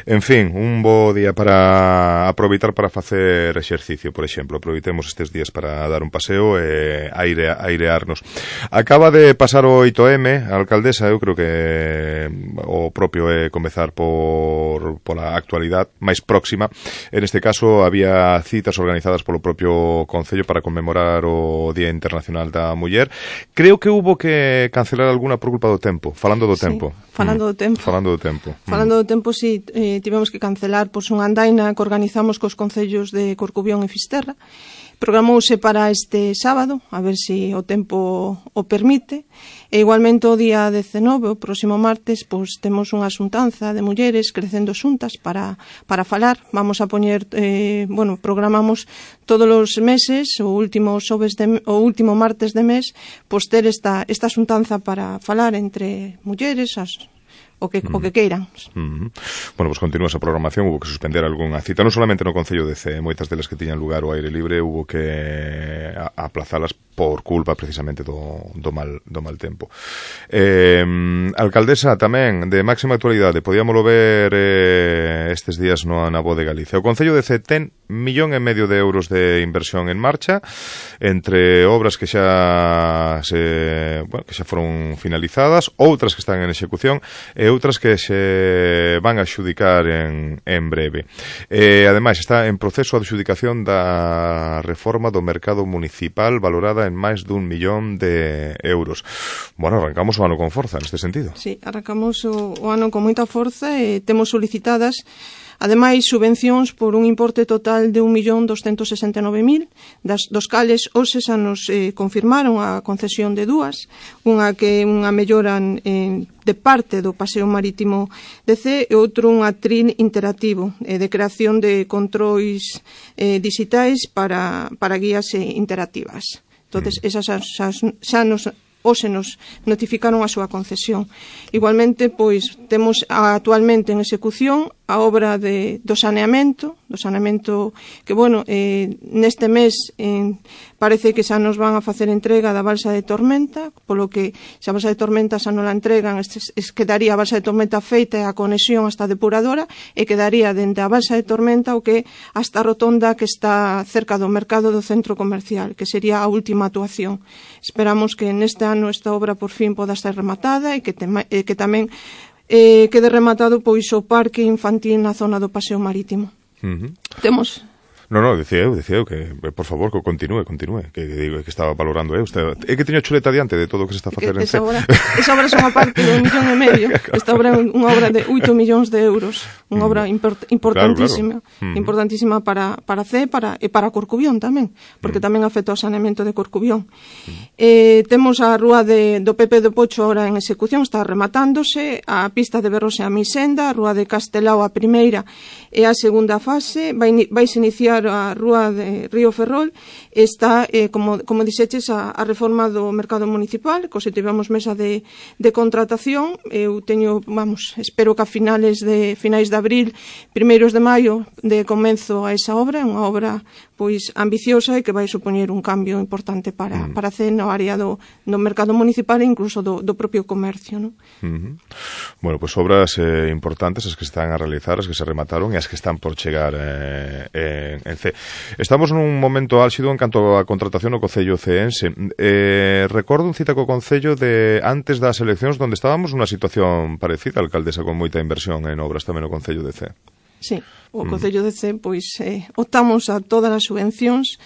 En fin, un bo día para aproveitar para facer exercicio, por exemplo. Aproveitemos estes días para dar un paseo e aire, airearnos. Acaba de pasar o oito eme, a alcaldesa, eu creo que o propio é comezar por pola actualidade máis próxima. En este caso, había citas organizadas polo propio Concello para conmemorar o Día Internacional da Muller. Creo que hubo que cancelar alguna por culpa do tempo. Falando do sí, tempo. Falando do tempo. Falando do tempo. Falando do tempo, si, sí, eh, tivemos que cancelar pois, unha andaina que organizamos cos concellos de Corcubión e Fisterra. Programouse para este sábado, a ver se si o tempo o permite. E igualmente o día dezenove, o próximo martes, pois temos unha xuntanza de mulleres crecendo xuntas para, para falar. Vamos a poñer, eh, bueno, programamos todos os meses, o último xoves de, o último martes de mes, pois ter esta, esta xuntanza para falar entre mulleres, as o que, mm. o que queiran. Mm. Bueno, pues continúa esa programación, hubo que suspender algunha cita, non solamente no Concello de C, moitas delas que tiñan lugar ao aire libre, hubo que aplazalas por culpa precisamente do, do, mal, do mal tempo. Eh, alcaldesa, tamén, de máxima actualidade, podíamoslo ver eh, estes días no na Voz de Galicia. O Concello de C ten millón e medio de euros de inversión en marcha, entre obras que xa se, bueno, que xa foron finalizadas, outras que están en execución e outras que se van a adxudicar en, en breve. E, ademais, está en proceso de adxudicación da reforma do mercado municipal valorada en máis dun millón de euros. Bueno, arrancamos o ano con forza neste sentido. Sí, arrancamos o, o ano con moita forza e temos solicitadas ademais subvencións por un importe total de un millón doscientos sesenta e nove mil, das, dos cales hoxe xa nos eh, confirmaron a concesión de dúas, unha que unha mellora en, de parte do paseo marítimo de C e outro un atril interactivo eh, de creación de controis eh, digitais para, para guías eh, interactivas. Entonces, esas xa, xa, xa nos hoxe nos notificaron a súa concesión. Igualmente, pois, temos actualmente en execución a obra de, do saneamento, do saneamento que, bueno, eh, neste mes eh, parece que xa nos van a facer entrega da balsa de Tormenta, polo que xa a balsa de Tormenta xa non la entregan, es, es, quedaría a balsa de Tormenta feita e a conexión hasta a depuradora, e quedaría dende a balsa de Tormenta o que hasta a rotonda que está cerca do mercado do centro comercial, que sería a última actuación. Esperamos que neste ano esta obra por fin poda ser rematada e que, te, e que tamén eh, quede rematado pois o parque infantil na zona do paseo marítimo. Uh-huh. Temos... No, no, decía eu, decía eu que, por favor, que continúe, continúe, que, que digo que estaba valorando eu. Usted, é que teño chuleta diante de todo o que se está a facer en esa obra, esa obra son a parte de un millón e medio. Esta obra é unha obra de oito millóns de euros, unha obra import, importantísima, claro, claro. importantísima para, para C para, e para Corcubión tamén, porque tamén afecta o saneamento de Corcubión. Eh, temos a rúa de, do Pepe do Pocho ahora en execución, está rematándose, a pista de Berrose a Misenda, a rúa de Castelao a primeira e a segunda fase, vai, vais iniciar a rúa de Río Ferrol, está, eh, como, como dixeches, a, a reforma do mercado municipal, cos que tivemos mesa de, de contratación. Eu teño, vamos, espero que a finales de finais de abril, primeiros de maio, de comenzo a esa obra, unha obra pois ambiciosa e que vai supoñer un cambio importante para, mm. para C no área do, do mercado municipal e incluso do, do propio comercio, ¿no? Uh-huh. Bueno, pues obras eh, importantes as que están a realizar, as que se remataron e as que están por chegar eh, en, en C. Estamos nun momento álxido en canto a contratación no Concello ceense. Eh, recordo un cita co Concello de antes das eleccións onde estábamos nunha situación parecida, alcaldesa, con moita inversión en obras tamén no Concello de C. Sí, o Concello de C, pois, eh, optamos a todas as subvencións,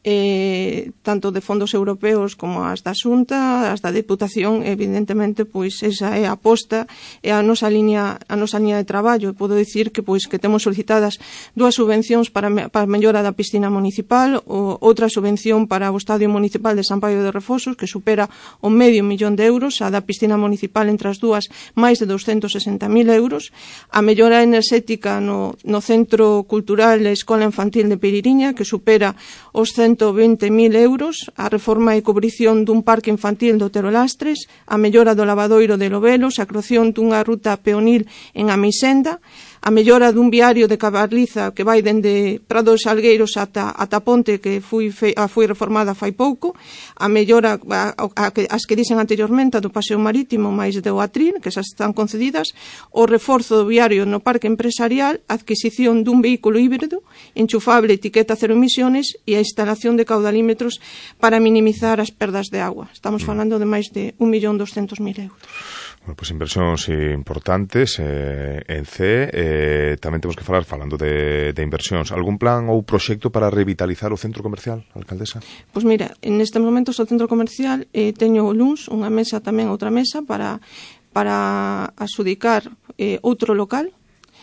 eh, tanto de fondos europeos como as da Xunta, as da Deputación, evidentemente, pois, esa é a aposta, é a nosa liña, a nosa liña de traballo. Podo dicir que, pois, que temos solicitadas dúas subvencións para, para a mellora da piscina municipal, ou outra subvención para o Estadio Municipal de San Paio de Refosos, que supera o medio millón de euros, a da piscina municipal entre as dúas, máis de doscientos sesenta mil euros, a mellora enerxética no, no Centro Cultural e Escola Infantil de Piririña, que supera os ciento vinte mil euros, a reforma e cubrición dun parque infantil do Otero Lastres, a mellora do lavadoiro de Lobelos, a creación dunha ruta peonil en Amisenda, a mellora dun viario de Cabarliza que vai dende Prado de Salgueiros ata, ata Ponte, que foi, fe, a, foi reformada fai pouco, a mellora a, a, a, as que dixen anteriormente do paseo marítimo máis do Atril, que xa están concedidas, o reforzo do viario no parque empresarial, a adquisición dun vehículo híbrido, enchufable, etiqueta cero emisiones e a instalación de caudalímetros para minimizar as perdas de agua. Estamos falando de máis de un millón doscientos mil euros. Bueno, pues inversións importantes eh, en C. Eh, tamén temos que falar, falando de, de inversións, algún plan ou proxecto para revitalizar o centro comercial, alcaldesa? Pois mira, en este momento o centro comercial eh, teño o luns unha mesa, tamén outra mesa para, para asudicar eh, outro local.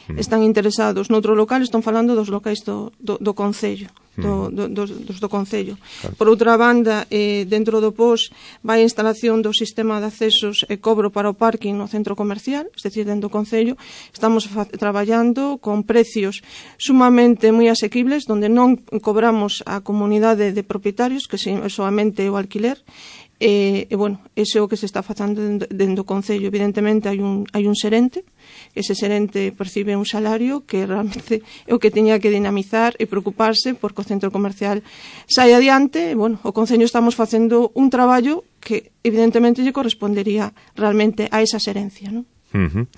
Están interesados noutro local, están falando dos locais do, do, do Concello, do, do, dos, dos do Concello. Claro. Por outra banda, eh, dentro do P O S vai a instalación do sistema de accesos e cobro para o parking no centro comercial, es decir, dentro do Concello. Estamos traballando con precios sumamente moi asequibles, donde non cobramos a comunidade de propietarios, que é solamente o alquiler. E, e bueno, ese é o que se está facendo dentro do Concello. Evidentemente hai un, hai un xerente, ese xerente percibe un salario que realmente é o que teña que dinamizar e preocuparse porque o centro comercial sai adiante. E, bueno, o Concello estamos facendo un traballo que evidentemente lle correspondería realmente a esa xerencia, non? Uh-huh.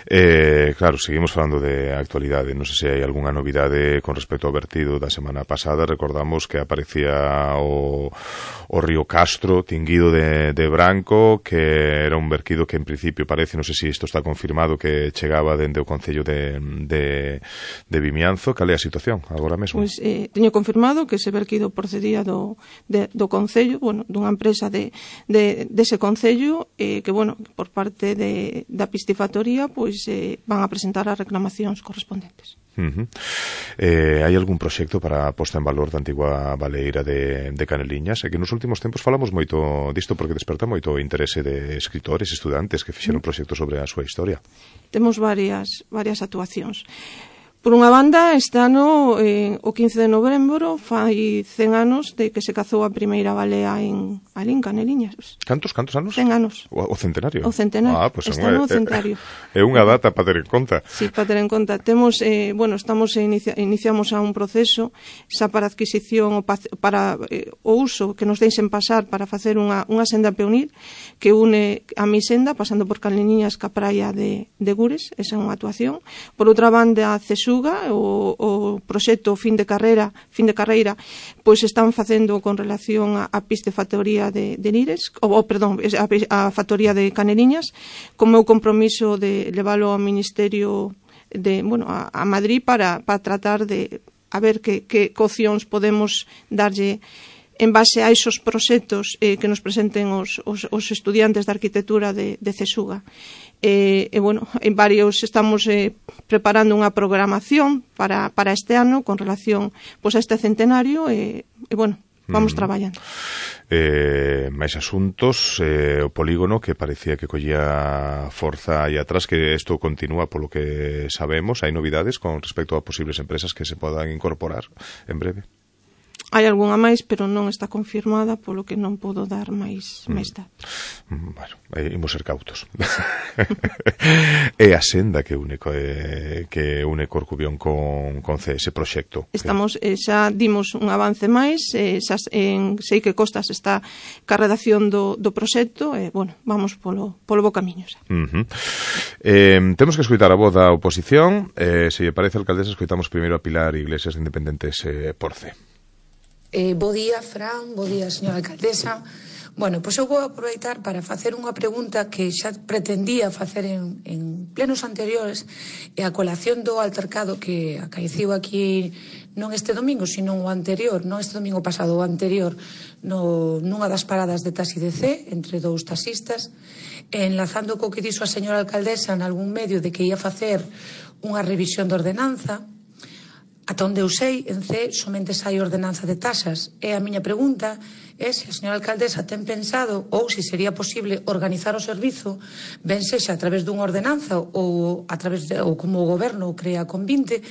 Eh, claro, seguimos falando de actualidade. Non sei se hai algunha novidade con respecto ao vertido da semana pasada. Recordamos que aparecía o, o río Castro tinguido de, de branco, que era un vertido que en principio parece, non sei se isto está confirmado, que chegaba dende o Concello de, de, de Vimianzo. Cal é a situación agora mesmo? Pois eh, teño confirmado que ese vertido procedía do, de, do Concello, bueno, dunha empresa de, de, dese Concello, eh, que, bueno, por parte de da piscifactoría, pois eh, van a presentar as reclamacións correspondentes. Uh-huh. Eh, hai algún proxecto para a posta en valor da antigua baleira de, de Caneliñas? É que nos últimos tempos falamos moito disto porque desperta moito o interese de escritores, estudantes que fixeron proxectos sobre a súa historia. Temos varias, varias actuacións. Por unha banda, este ano, eh, o quince de novembro, fai cen anos de que se cazou a primeira balea en Alín, Caneliñas. Cantos, cantos anos? cen anos. O, o centenario? O centenario. Ah, pues este ano o centenario. É unha data para ter en conta. Sí, para ter en conta. Temos, eh, bueno, estamos inicia, iniciamos a un proceso xa para adquisición, para eh, o uso que nos deixen pasar para facer unha, unha senda peonil que une a mi senda, pasando por Caneliñas ca praia de, de Gures, esa é unha actuación. Por outra banda, CESUR, O, o proxecto fin de carreira, fin de carreira, pois están facendo con relación a, a piscifactoría de, de Lires, ou, oh, perdón, a, a factoría de Caneliñas, con meu compromiso de leválo ao Ministerio de, bueno, a, a Madrid para, para tratar de a ver que, que opcións podemos darlle en base a esos proxectos eh, que nos presenten os, os, os estudiantes de arquitectura de, de CESUGA. E, eh, eh, bueno, en varios estamos eh, preparando unha programación para, para este ano con relación pois, a este centenario e, eh, eh, bueno, vamos mm. traballando. Eh, máis asuntos, eh, o polígono que parecía que collía forza aí atrás, que isto continúa polo que sabemos, hai novidades con respecto a posibles empresas que se podan incorporar en breve. Hai algunha máis, pero non está confirmada, polo que non podo dar máis, mm. máis datos. Bueno, eh, imos ser cautos. É a senda que une eh, que une Corcubión con, con C S proxecto. Estamos, eh, xa dimos un avance máis, eh, xa, en, sei que Costas está ca redacción do, do proxecto, e, eh, bueno, vamos polo, polo bo camiño xa. Uh -huh. eh, temos que escoitar a voz da oposición, eh, se lle parece, alcaldesa, escoitamos primeiro a Pilar Iglesias de Independentes eh, por C. Eh, bo día, Fran, bo día, señora alcaldesa. Bueno, pois eu vou aproveitar para facer unha pregunta que xa pretendía facer en, en plenos anteriores, e a colación do altercado que acaeciu aquí non este domingo, sino o anterior, non este domingo pasado, o anterior, no, nunha das paradas de taxi de C, entre dous taxistas, enlazando co que dixo a señora alcaldesa en algún medio de que ia facer unha revisión de ordenanza. Ata onde eu sei, en C somente sai ordenanza de tasas. E a miña pregunta é se a señora alcaldesa ten pensado ou se sería posible organizar o servizo, ben sexa a través dunha ordenanza ou a través de, ou como o goberno crea con vinte,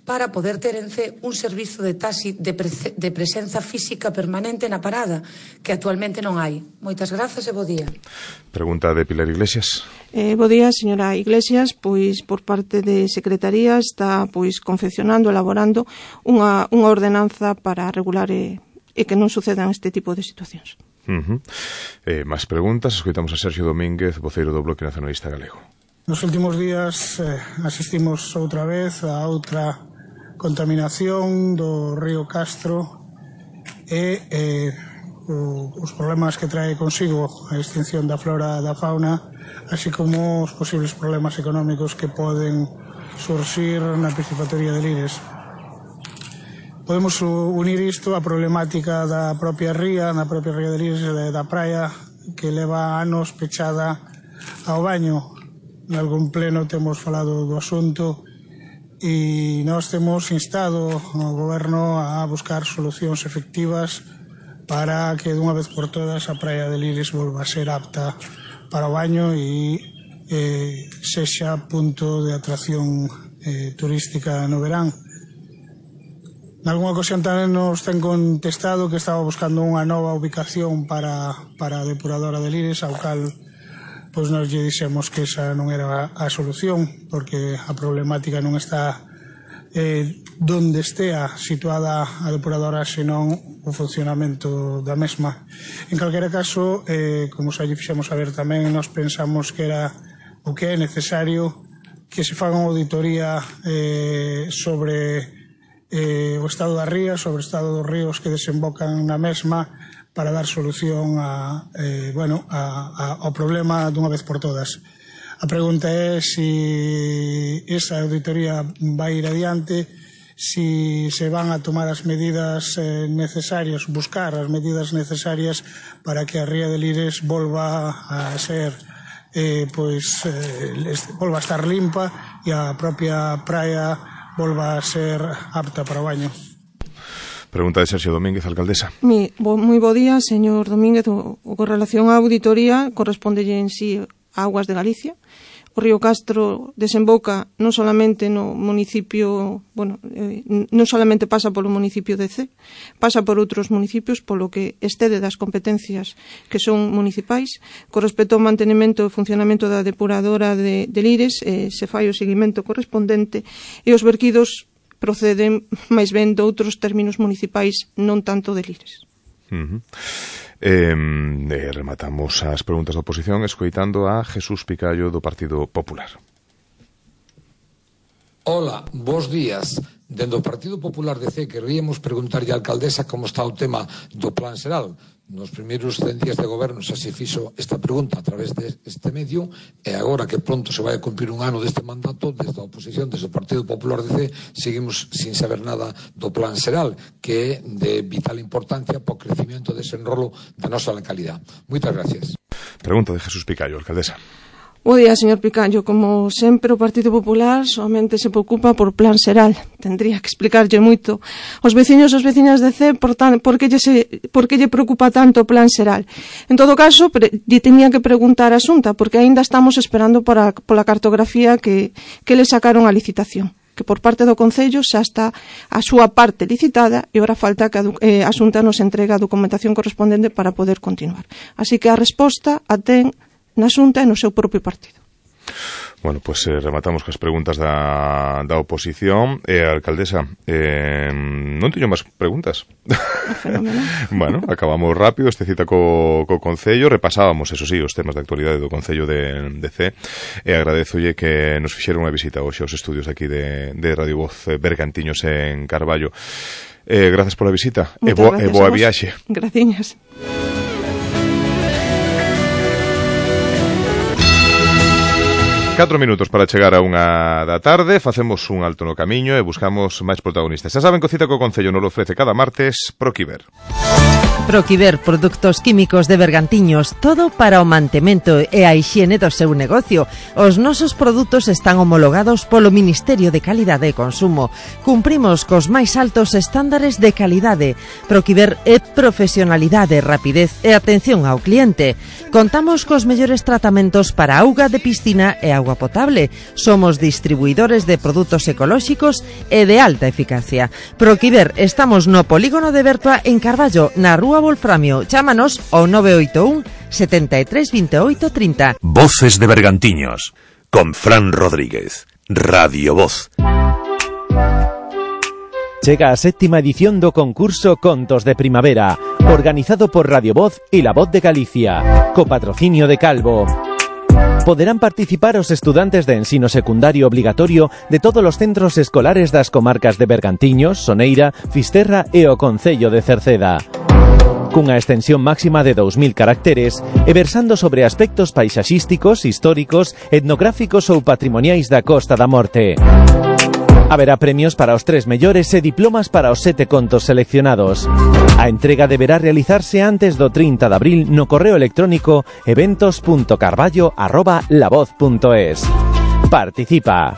para poder ter en C un servizo de taxi de, pre, de presenza física permanente na parada, que actualmente non hai. Moitas grazas e bo día. Pregunta de Pilar Iglesias. Eh, bo día, señora Iglesias, pois por parte de Secretaría está pois confeccionando, elaborando unha, unha ordenanza para regular e, e que non sucedan este tipo de situacións. Uh -huh. eh, máis preguntas, escoitamos a Sergio Domínguez, voceiro do Bloque Nacionalista Galego. Nos últimos días eh, asistimos outra vez a outra contaminación do río Castro e eh, o, os problemas que trae consigo a extinción da flora e da fauna, así como os posibles problemas económicos que poden surxir na piscifactoría de Lires. Podemos unir isto á problemática da propia ría, na propia ría de Lires e da praia, que leva anos pechada ao baño. En algún pleno temos falado do asunto e nós temos instado ao goberno a buscar solucións efectivas para que dunha vez por todas a praia de Lires volva a ser apta para o baño e eh, sexa punto de atracción eh, turística no verán. Nalgúnha ocasión tamén nos ten contestado que estaba buscando unha nova ubicación para, para a depuradora de Lires, ao cal pois nos lle dixemos que esa non era a solución, porque a problemática non está eh, donde estea situada a depuradora, senón o funcionamento da mesma. En calquera caso, eh, como xa lle fixemos saber tamén, nos pensamos que era o que é necesario que se faga unha auditoría eh, sobre eh, o estado da ría, sobre o estado dos ríos que desembocan na mesma, para dar solución a, eh, bueno, a, a, ao problema dunha vez por todas. A pregunta é se esa auditoría vai ir adiante, se se van a tomar as medidas eh, necesarias, buscar as medidas necesarias para que a ría de Lires volva a ser, eh, pois, eh, volva a estar limpa e a propia praia volva a ser apta para o baño. Pregunta de Sergio Domínguez, alcaldesa. Mi, bo, moi bo día, señor Domínguez. O, o con relación á auditoría corresponde en sí a Aguas de Galicia. o río Castro desemboca non solamente no municipio, bueno, eh, non solamente pasa polo municipio de Cee, pasa por outros municipios, polo que excede das competencias que son municipais. Con respecto ao mantenimento e funcionamento da depuradora de, de Lires, eh, se fai o seguimento correspondente e os verquidos proceden máis ben de outros términos municipais, non tanto de Lires. Uh-huh. Eh, eh, rematamos as preguntas da oposición escoitando a Jesús Picallo do Partido Popular. Hola, bos días. Dende o Partido Popular de Cee queríamos preguntarlle á alcaldesa como está o tema do Plan Xeral. Nos primeiros cen días de goberno xa se fixo esta pregunta a través deste medio e agora que pronto se vai a cumprir un ano deste mandato, desde a oposición, desde o Partido Popular de Cee, seguimos sin saber nada do Plan Xeral, que é de vital importancia para o crecimiento e desenrolo da nosa localidade. Moitas gracias. Pregunta de Jesús Picallo, alcaldesa. Bo día, señor Picallo. Como sempre, o Partido Popular somente se preocupa por Plan Xeral. Tendría que explicarlle moito aos veciños e as veciñas de Cee por, tan, por, que lle se, por que lle preocupa tanto o Plan Xeral. En todo caso, pre, lle tenía que preguntar a Xunta, porque aínda estamos esperando para, pola cartografía que, que le sacaron a licitación, que por parte do Concello xa está a súa parte licitada e ora falta que a, eh, a Xunta nos entregue a documentación correspondente para poder continuar. Así que a resposta a ten na Xunta e no seu propio partido. Bueno, pues eh, rematamos cas preguntas da, da oposición. Eh, alcaldesa, eh, non teño máis preguntas. Bueno, acabamos rápido este cita co, co Concello. Repasábamos, eso sí, os temas de actualidade do Concello de, de Cee. E agradezolle que nos fixera unha visita hoxe aos estudios aquí de, de Radio Voz Bergantiños en Carballo. Eh, gracias pola visita e, bo, e boa viaxe. Graciñas. Catro minutos para chegar a unha da tarde. Facemos un alto no camiño e buscamos máis protagonistas. Xa saben que o cita co Concello nos lo ofrece cada martes Proquiver. Proquiver, produtos químicos de Bergantiños, todo para o mantemento e a hixiene do seu negocio. Os nosos produtos están homologados polo Ministerio de Calidade e Consumo. Cumprimos cos máis altos estándares de calidade. Proquiver é profesionalidade, rapidez e atención ao cliente. Contamos cos mellores tratamentos para auga de piscina e auga potable. Somos distribuidores de produtos ecolóxicos e de alta eficacia. Proquiver, estamos no polígono de Bertua en Carballo, na Rúa Wolframio. Chámanos ao nove oito un, setenta e tres, veintiocho, treinta. Voces de Bergantiños, con Fran Rodríguez. Radio Voz. Chega a séptima edición do concurso Contos de Primavera, organizado por Radio Voz e La Voz de Galicia, co patrocinio de Calvo. Poderán participar os estudantes de ensino secundario obligatorio de todos os centros escolares das comarcas de Bergantiños, Soneira, Fisterra e o Concello de Cerceda. Cunha extensión máxima de dous mil caracteres e versando sobre aspectos paisaxísticos, históricos, etnográficos ou patrimoniais da Costa da Morte. Haberá premios para os tres mellores e diplomas para os sete contos seleccionados. A entrega deberá realizarse antes do trinta de abril no correo electrónico eventos punto carballo arroba lavoz punto es. Participa.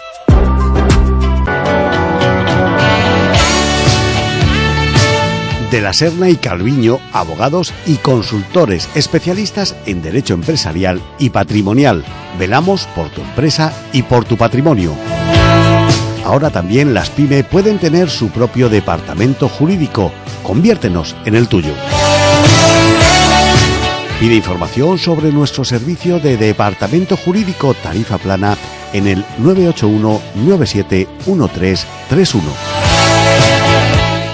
De la Serna y Calviño, abogados y consultores especialistas en derecho empresarial y patrimonial. Velamos por tu empresa y por tu patrimonio. Ahora también las PYME pueden tener su propio departamento jurídico. Conviértenos en el tuyo. Pide información sobre nuestro servicio de departamento jurídico tarifa plana en el nueve ocho uno, nueve siete uno tres tres uno.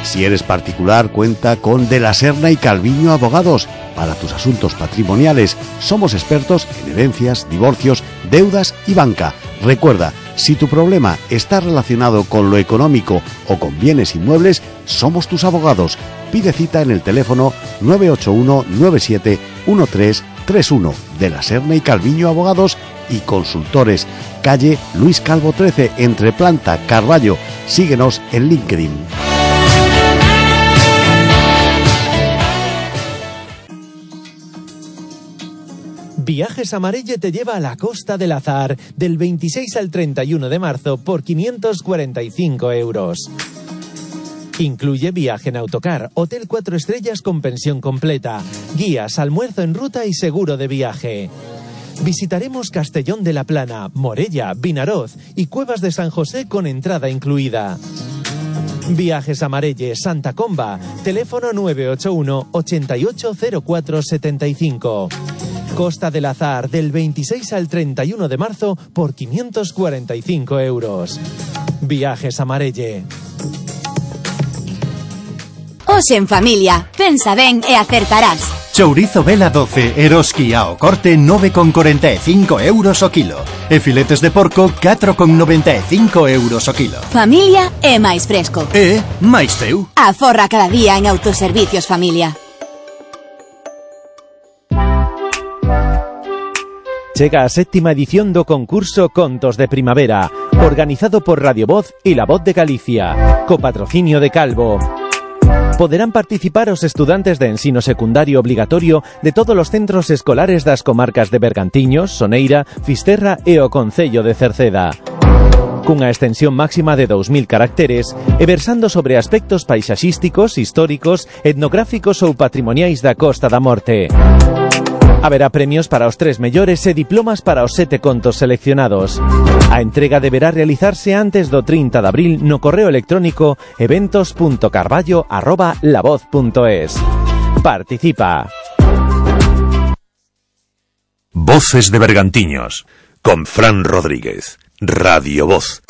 Si eres particular, cuenta con De la Serna y Calviño Abogados. Para tus asuntos patrimoniales, somos expertos en herencias, divorcios, deudas y banca. Recuerda, si tu problema está relacionado con lo económico o con bienes inmuebles, somos tus abogados. Pide cita en el teléfono nueve ocho uno, nueve siete uno tres tres uno. De la Serna y Calviño Abogados y Consultores. Calle Luis Calvo trece, entre Planta, Carballo. Síguenos en LinkedIn. Viajes Amarelle te lleva a la Costa del Azar del veintiséis al treinta y uno de marzo por quinientos cuarenta y cinco euros. Incluye viaje en autocar, hotel cuatro estrellas con pensión completa, guías, almuerzo en ruta y seguro de viaje. visitaremos Castellón de la Plana, Morella, Vinaroz y Cuevas de San José con entrada incluida. Viajes a Marelle, Santa Comba, teléfono nueve ocho uno, ochenta y ocho cero cuatro setenta y cinco. Costa del Azar, del veintiséis al treinta y uno de marzo por quinientos cuarenta y cinco euros. Viajes a Marelle. Hoxe en familia, pensa ben e acertarás. Chourizo Vela doce, Eroski ao corte nove con corenta e cinco euros o kilo. E filetes de porco catro con noventa e cinco euros o kilo. Familia é máis fresco. E máis teu. Aforra cada día en Autoservicios Familia. Chega a séptima edición do concurso Contos de Primavera, organizado por Radio Voz e La Voz de Galicia, co patrocinio de Calvo. Poderán participar os estudantes de ensino secundario obligatorio de todos os centros escolares das comarcas de Bergantiños, Soneira, Fisterra e o Concello de Cerceda. Cunha extensión máxima de dous mil caracteres e versando sobre aspectos paisaxísticos, históricos, etnográficos ou patrimoniais da Costa da Morte. Haberá premios para os tres mellores e diplomas para os sete contos seleccionados. A entrega deberá realizarse antes do trinta de abril no correo electrónico eventos punto carballo arroba lavoz punto es. Participa. Voces de Bergantiños, con Fran Rodríguez, Radio Voz.